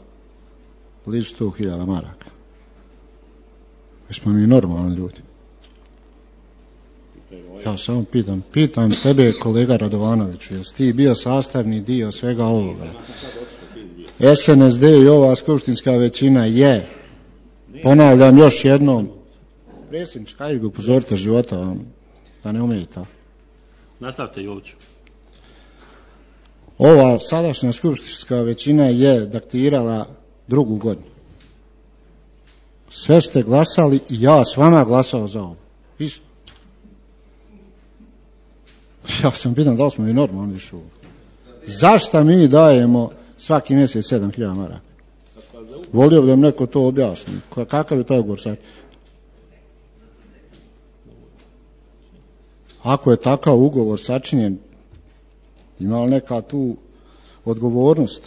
blizu 100.000 maraka. Jesmo mi normalni ljudi? Ja samo pitam tebe, kolega Radovanoviću, jesi ti bio sastavni dio svega ovoga? SNSD i ova skupštinska većina je, ponavljam još jednom, predsjedniče, hajde ga upozorite života vam, da ne umijete. Nastavite, Joviću. Ova sadašnja skupštinska većina je daktirala 2. godinu. Sve ste glasali i ja s vama glasao za ovo. Isto. Ja sam pitan da li smo i normalni šu. Zašto mi dajemo svaki mjesec 7.000 maraka? Volio bi da mi neko to objasni. Kakav je pregovor sad? Ako je takav ugovor sačinjen, ima li neka tu odgovornost?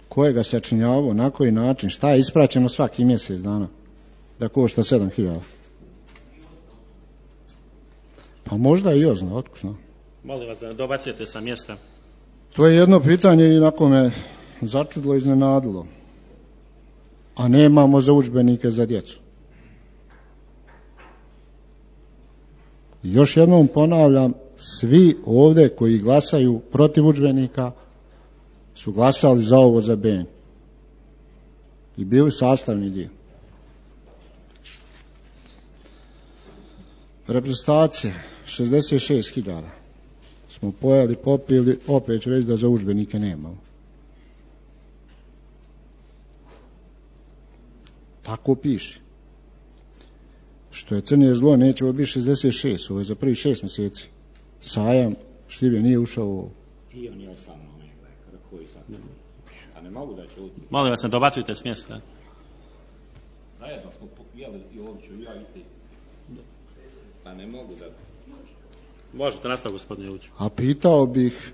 Ko je ga sačinjavao, na koji način, šta je ispraćeno svaki mjesec dana da košta 7.000? Pa možda i ozna, otkusno. Molim vas da ne dobacujete sa mjesta. To je jedno pitanje i onako me začudilo, iznenadilo. A nemamo za udžbenike za djecu. Još jednom ponavljam, svi ovdje koji glasaju protiv udžbenika su glasali za ovo za BN. I bili sastavni dio. Reprezentacije, 66.000. Smo pojeli, popili, opet ću reći da za udžbenike nemamo. Tako piše. Što je crnije zlo, neće ovo biti 66, ovo je za prvi 6 mjeseci. Sajam šljive nije ušao u ovo. I on je sa mnom, kada koji sad. A ne mogu da će uti. Molim vas, ne dobacujte s mjesta. Zajedno smo jeli i ovdje i ja i ti. Pa ne mogu da... Možete nastaviti, gospodine Joviću. A pitao bih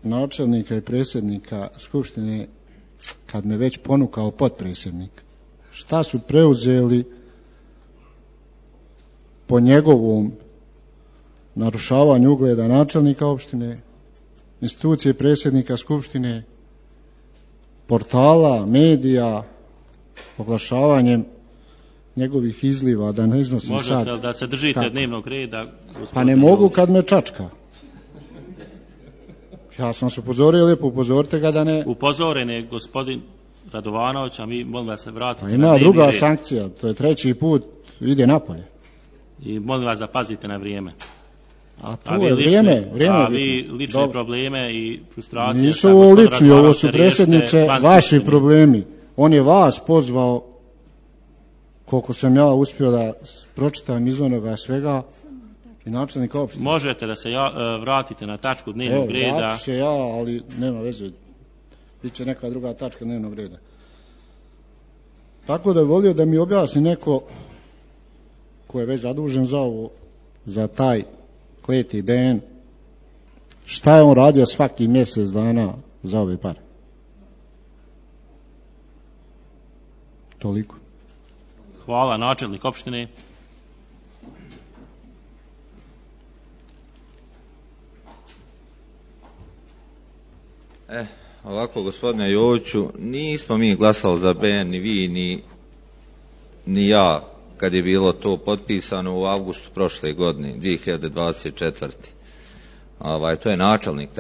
načelnika i predsjednika Skupštine, kad me već ponukao potpredsjednik, šta su preuzeli po njegovom narušavanju ugleda načelnika opštine, institucije predsjednika Skupštine, portala, medija, oglašavanjem njegovih izliva, da ne iznosim možete sad. Možete da se držite dnevnog reda? Pa ne mogu kad me čačka. Ja sam se upozorio, lijepo upozorite ga da ne... Upozoren je gospodin Radovanović, a mi molim vas se vratiti. Pa ima druga sankcija, to je 3. put, ide napolje. I molim vas da pazite na vrijeme. A to je vrijeme. A vi lične probleme i frustracije... Nisu ovo lični, ovo su predsjednice vaši problemi. On je vas pozvao, koliko sam ja uspio da pročitam iz onoga svega, i načelnika opštine. Možete da se vratite na tačku dnevnog reda. Evo, vratit se ja, ali nema veze. Biće neka druga tačka dnevnog reda. Tako da je volio da mi objasni neko ko je već zadužen za ovo, za taj kleti BN, šta je on radio svaki mjesec dana za ove pare. Toliko. Hvala, načelnik opštine. Ovako, gospodine Joviću, nismo mi glasali za BN, ni vi, ni ja, kad je bilo to potpisano u avgustu prošle godine, 2024. To je načelnik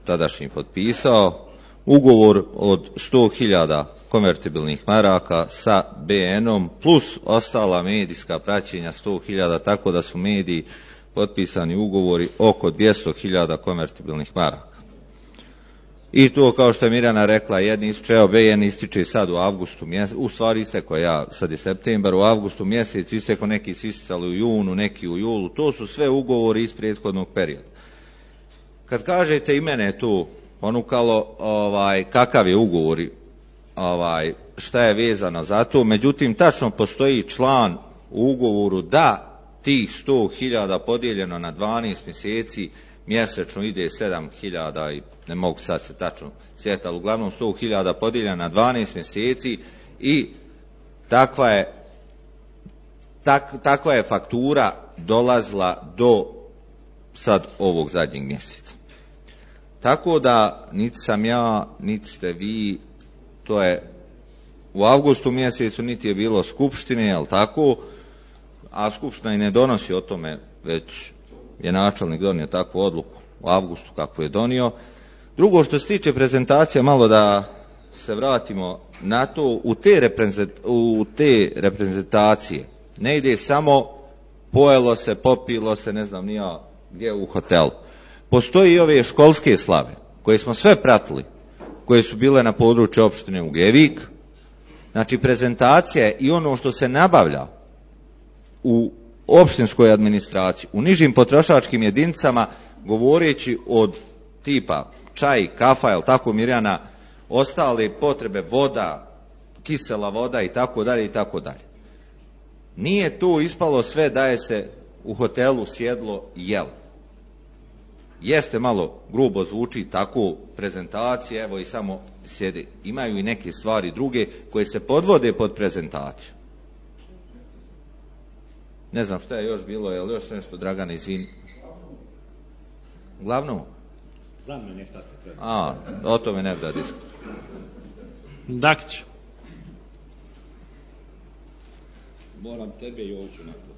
tadašnji potpisao. Ugovor od 100.000 konvertibilnih maraka sa BN-om plus ostala medijska praćenja 100.000, tako da su mediji potpisani ugovori oko 200.000 konvertibilnih maraka. I to, kao što je Mirjana rekla, jedni ističe, BN ističe sad u avgustu mjesecu, u stvari isteko sad je septembar, u avgustu mjesecu isteko, neki su isticali u junu, neki u julu, to su sve ugovori iz prethodnog perioda. Kad kažete i mene tu ponukalo kakav je ugovor, šta je vezano za to, međutim tačno postoji član u ugovoru da tih 100.000 podijeljeno na 12 mjeseci mjesečno ide 7.000 i ne mogu sad se tačno sjetiti, ali uglavnom 100.000 podijeljeno na 12 mjeseci i takva je faktura dolazila do sad ovog zadnjeg mjeseca. Tako da niti sam ja, niti ste vi, to je u avgustu mjesecu, niti je bilo skupštine, jel tako, a skupština i ne donosi o tome, već je načelnik donio takvu odluku u avgustu kako je donio. Drugo, što se tiče prezentacije, malo da se vratimo na to, u te reprezentacije ne ide samo pojelo se, popilo se, ne znam ni ja gdje u hotelu. Postoji i ove školske slave koje smo sve pratili, koje su bile na području opštine Ugljevik. Znači prezentacija i ono što se nabavlja u opštinskoj administraciji, u nižim potrošačkim jedinicama, govoreći od tipa čaj, kafa, jel tako Mirjana, ostale potrebe, voda, kisela voda i tako dalje i tako dalje. Nije tu ispalo sve da je se u hotelu sjedlo i jelo. Jeste malo grubo zvuči tako prezentacije, evo i samo sjede. Imaju i neke stvari druge koje se podvode pod prezentaciju. Ne znam šta je još bilo, je li još nešto, Dragane, izvini? Uglavnom? Za mene nešta ste predali. O tome ne bi da diskutujem. Dakić. Moram tebe i ovdje nakon.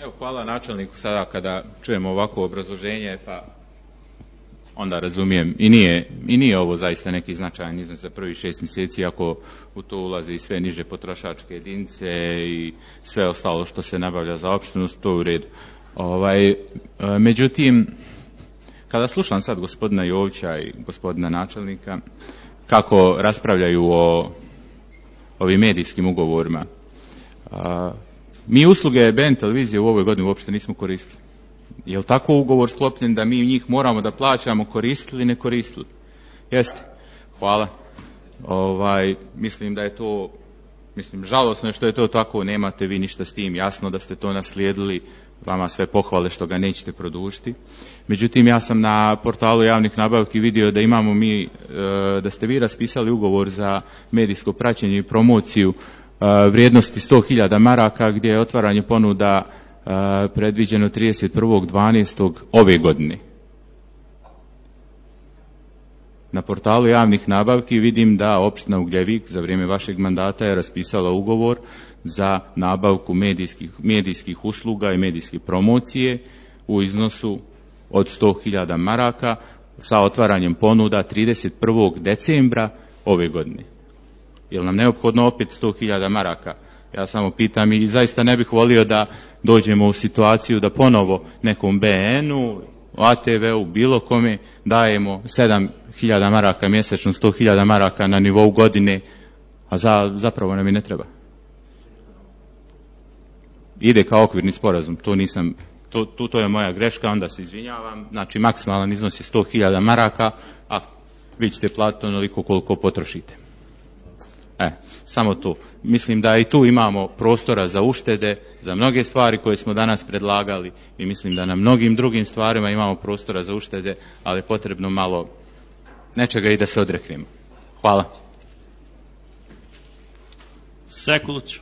Evo, hvala načelniku sada kada čujemo ovako obrazloženje, pa onda razumijem. I nije ovo zaista neki značajan iznos za prvih 6 mjeseci, ako u to ulaze i sve niže potrošačke jedinice i sve ostalo što se nabavlja za opštinu, to je u redu. Međutim, kada slušam sad gospodina Jovića i gospodina načelnika, kako raspravljaju o ovim medijskim ugovorima, mi usluge BN televizije u ovoj godini uopšte nismo koristili. Je li tako ugovor sklopljen da mi njih moramo da plaćamo, koristili, ne koristili? Jeste. Hvala. Mislim da je to, žalosno je što je to tako, nemate vi ništa s tim, jasno da ste to naslijedili, vama sve pohvale što ga nećete produžiti. Međutim, ja sam na portalu javnih nabavki vidio da imamo mi, da ste vi raspisali ugovor za medijsko praćenje i promociju vrijednosti 100.000 maraka, gdje je otvaranje ponuda predviđeno 31.12. ove godine. Na portalu javnih nabavki vidim da opština Ugljevik za vrijeme vašeg mandata je raspisala ugovor za nabavku medijskih usluga i medijske promocije u iznosu od 100.000 maraka sa otvaranjem ponuda 31. decembra ove godine. Je li nam neophodno opet 100.000 maraka? Ja samo pitam i zaista ne bih volio da dođemo u situaciju da ponovo nekom BN-u, ATV-u, bilo kome dajemo 7.000 maraka mjesečno, 100.000 maraka na nivou godine, a zapravo nam i ne treba. Ide kao okvirni sporazum, to je moja greška, onda se izvinjavam. Znači, maksimalan iznos je 100.000 maraka, a vi ćete platiti onoliko koliko potrošite. Samo to. Mislim da i tu imamo prostora za uštede, za mnoge stvari koje smo danas predlagali i mislim da na mnogim drugim stvarima imamo prostora za uštede, ali je potrebno malo nečega i da se odreknemo. Hvala. Sekulić.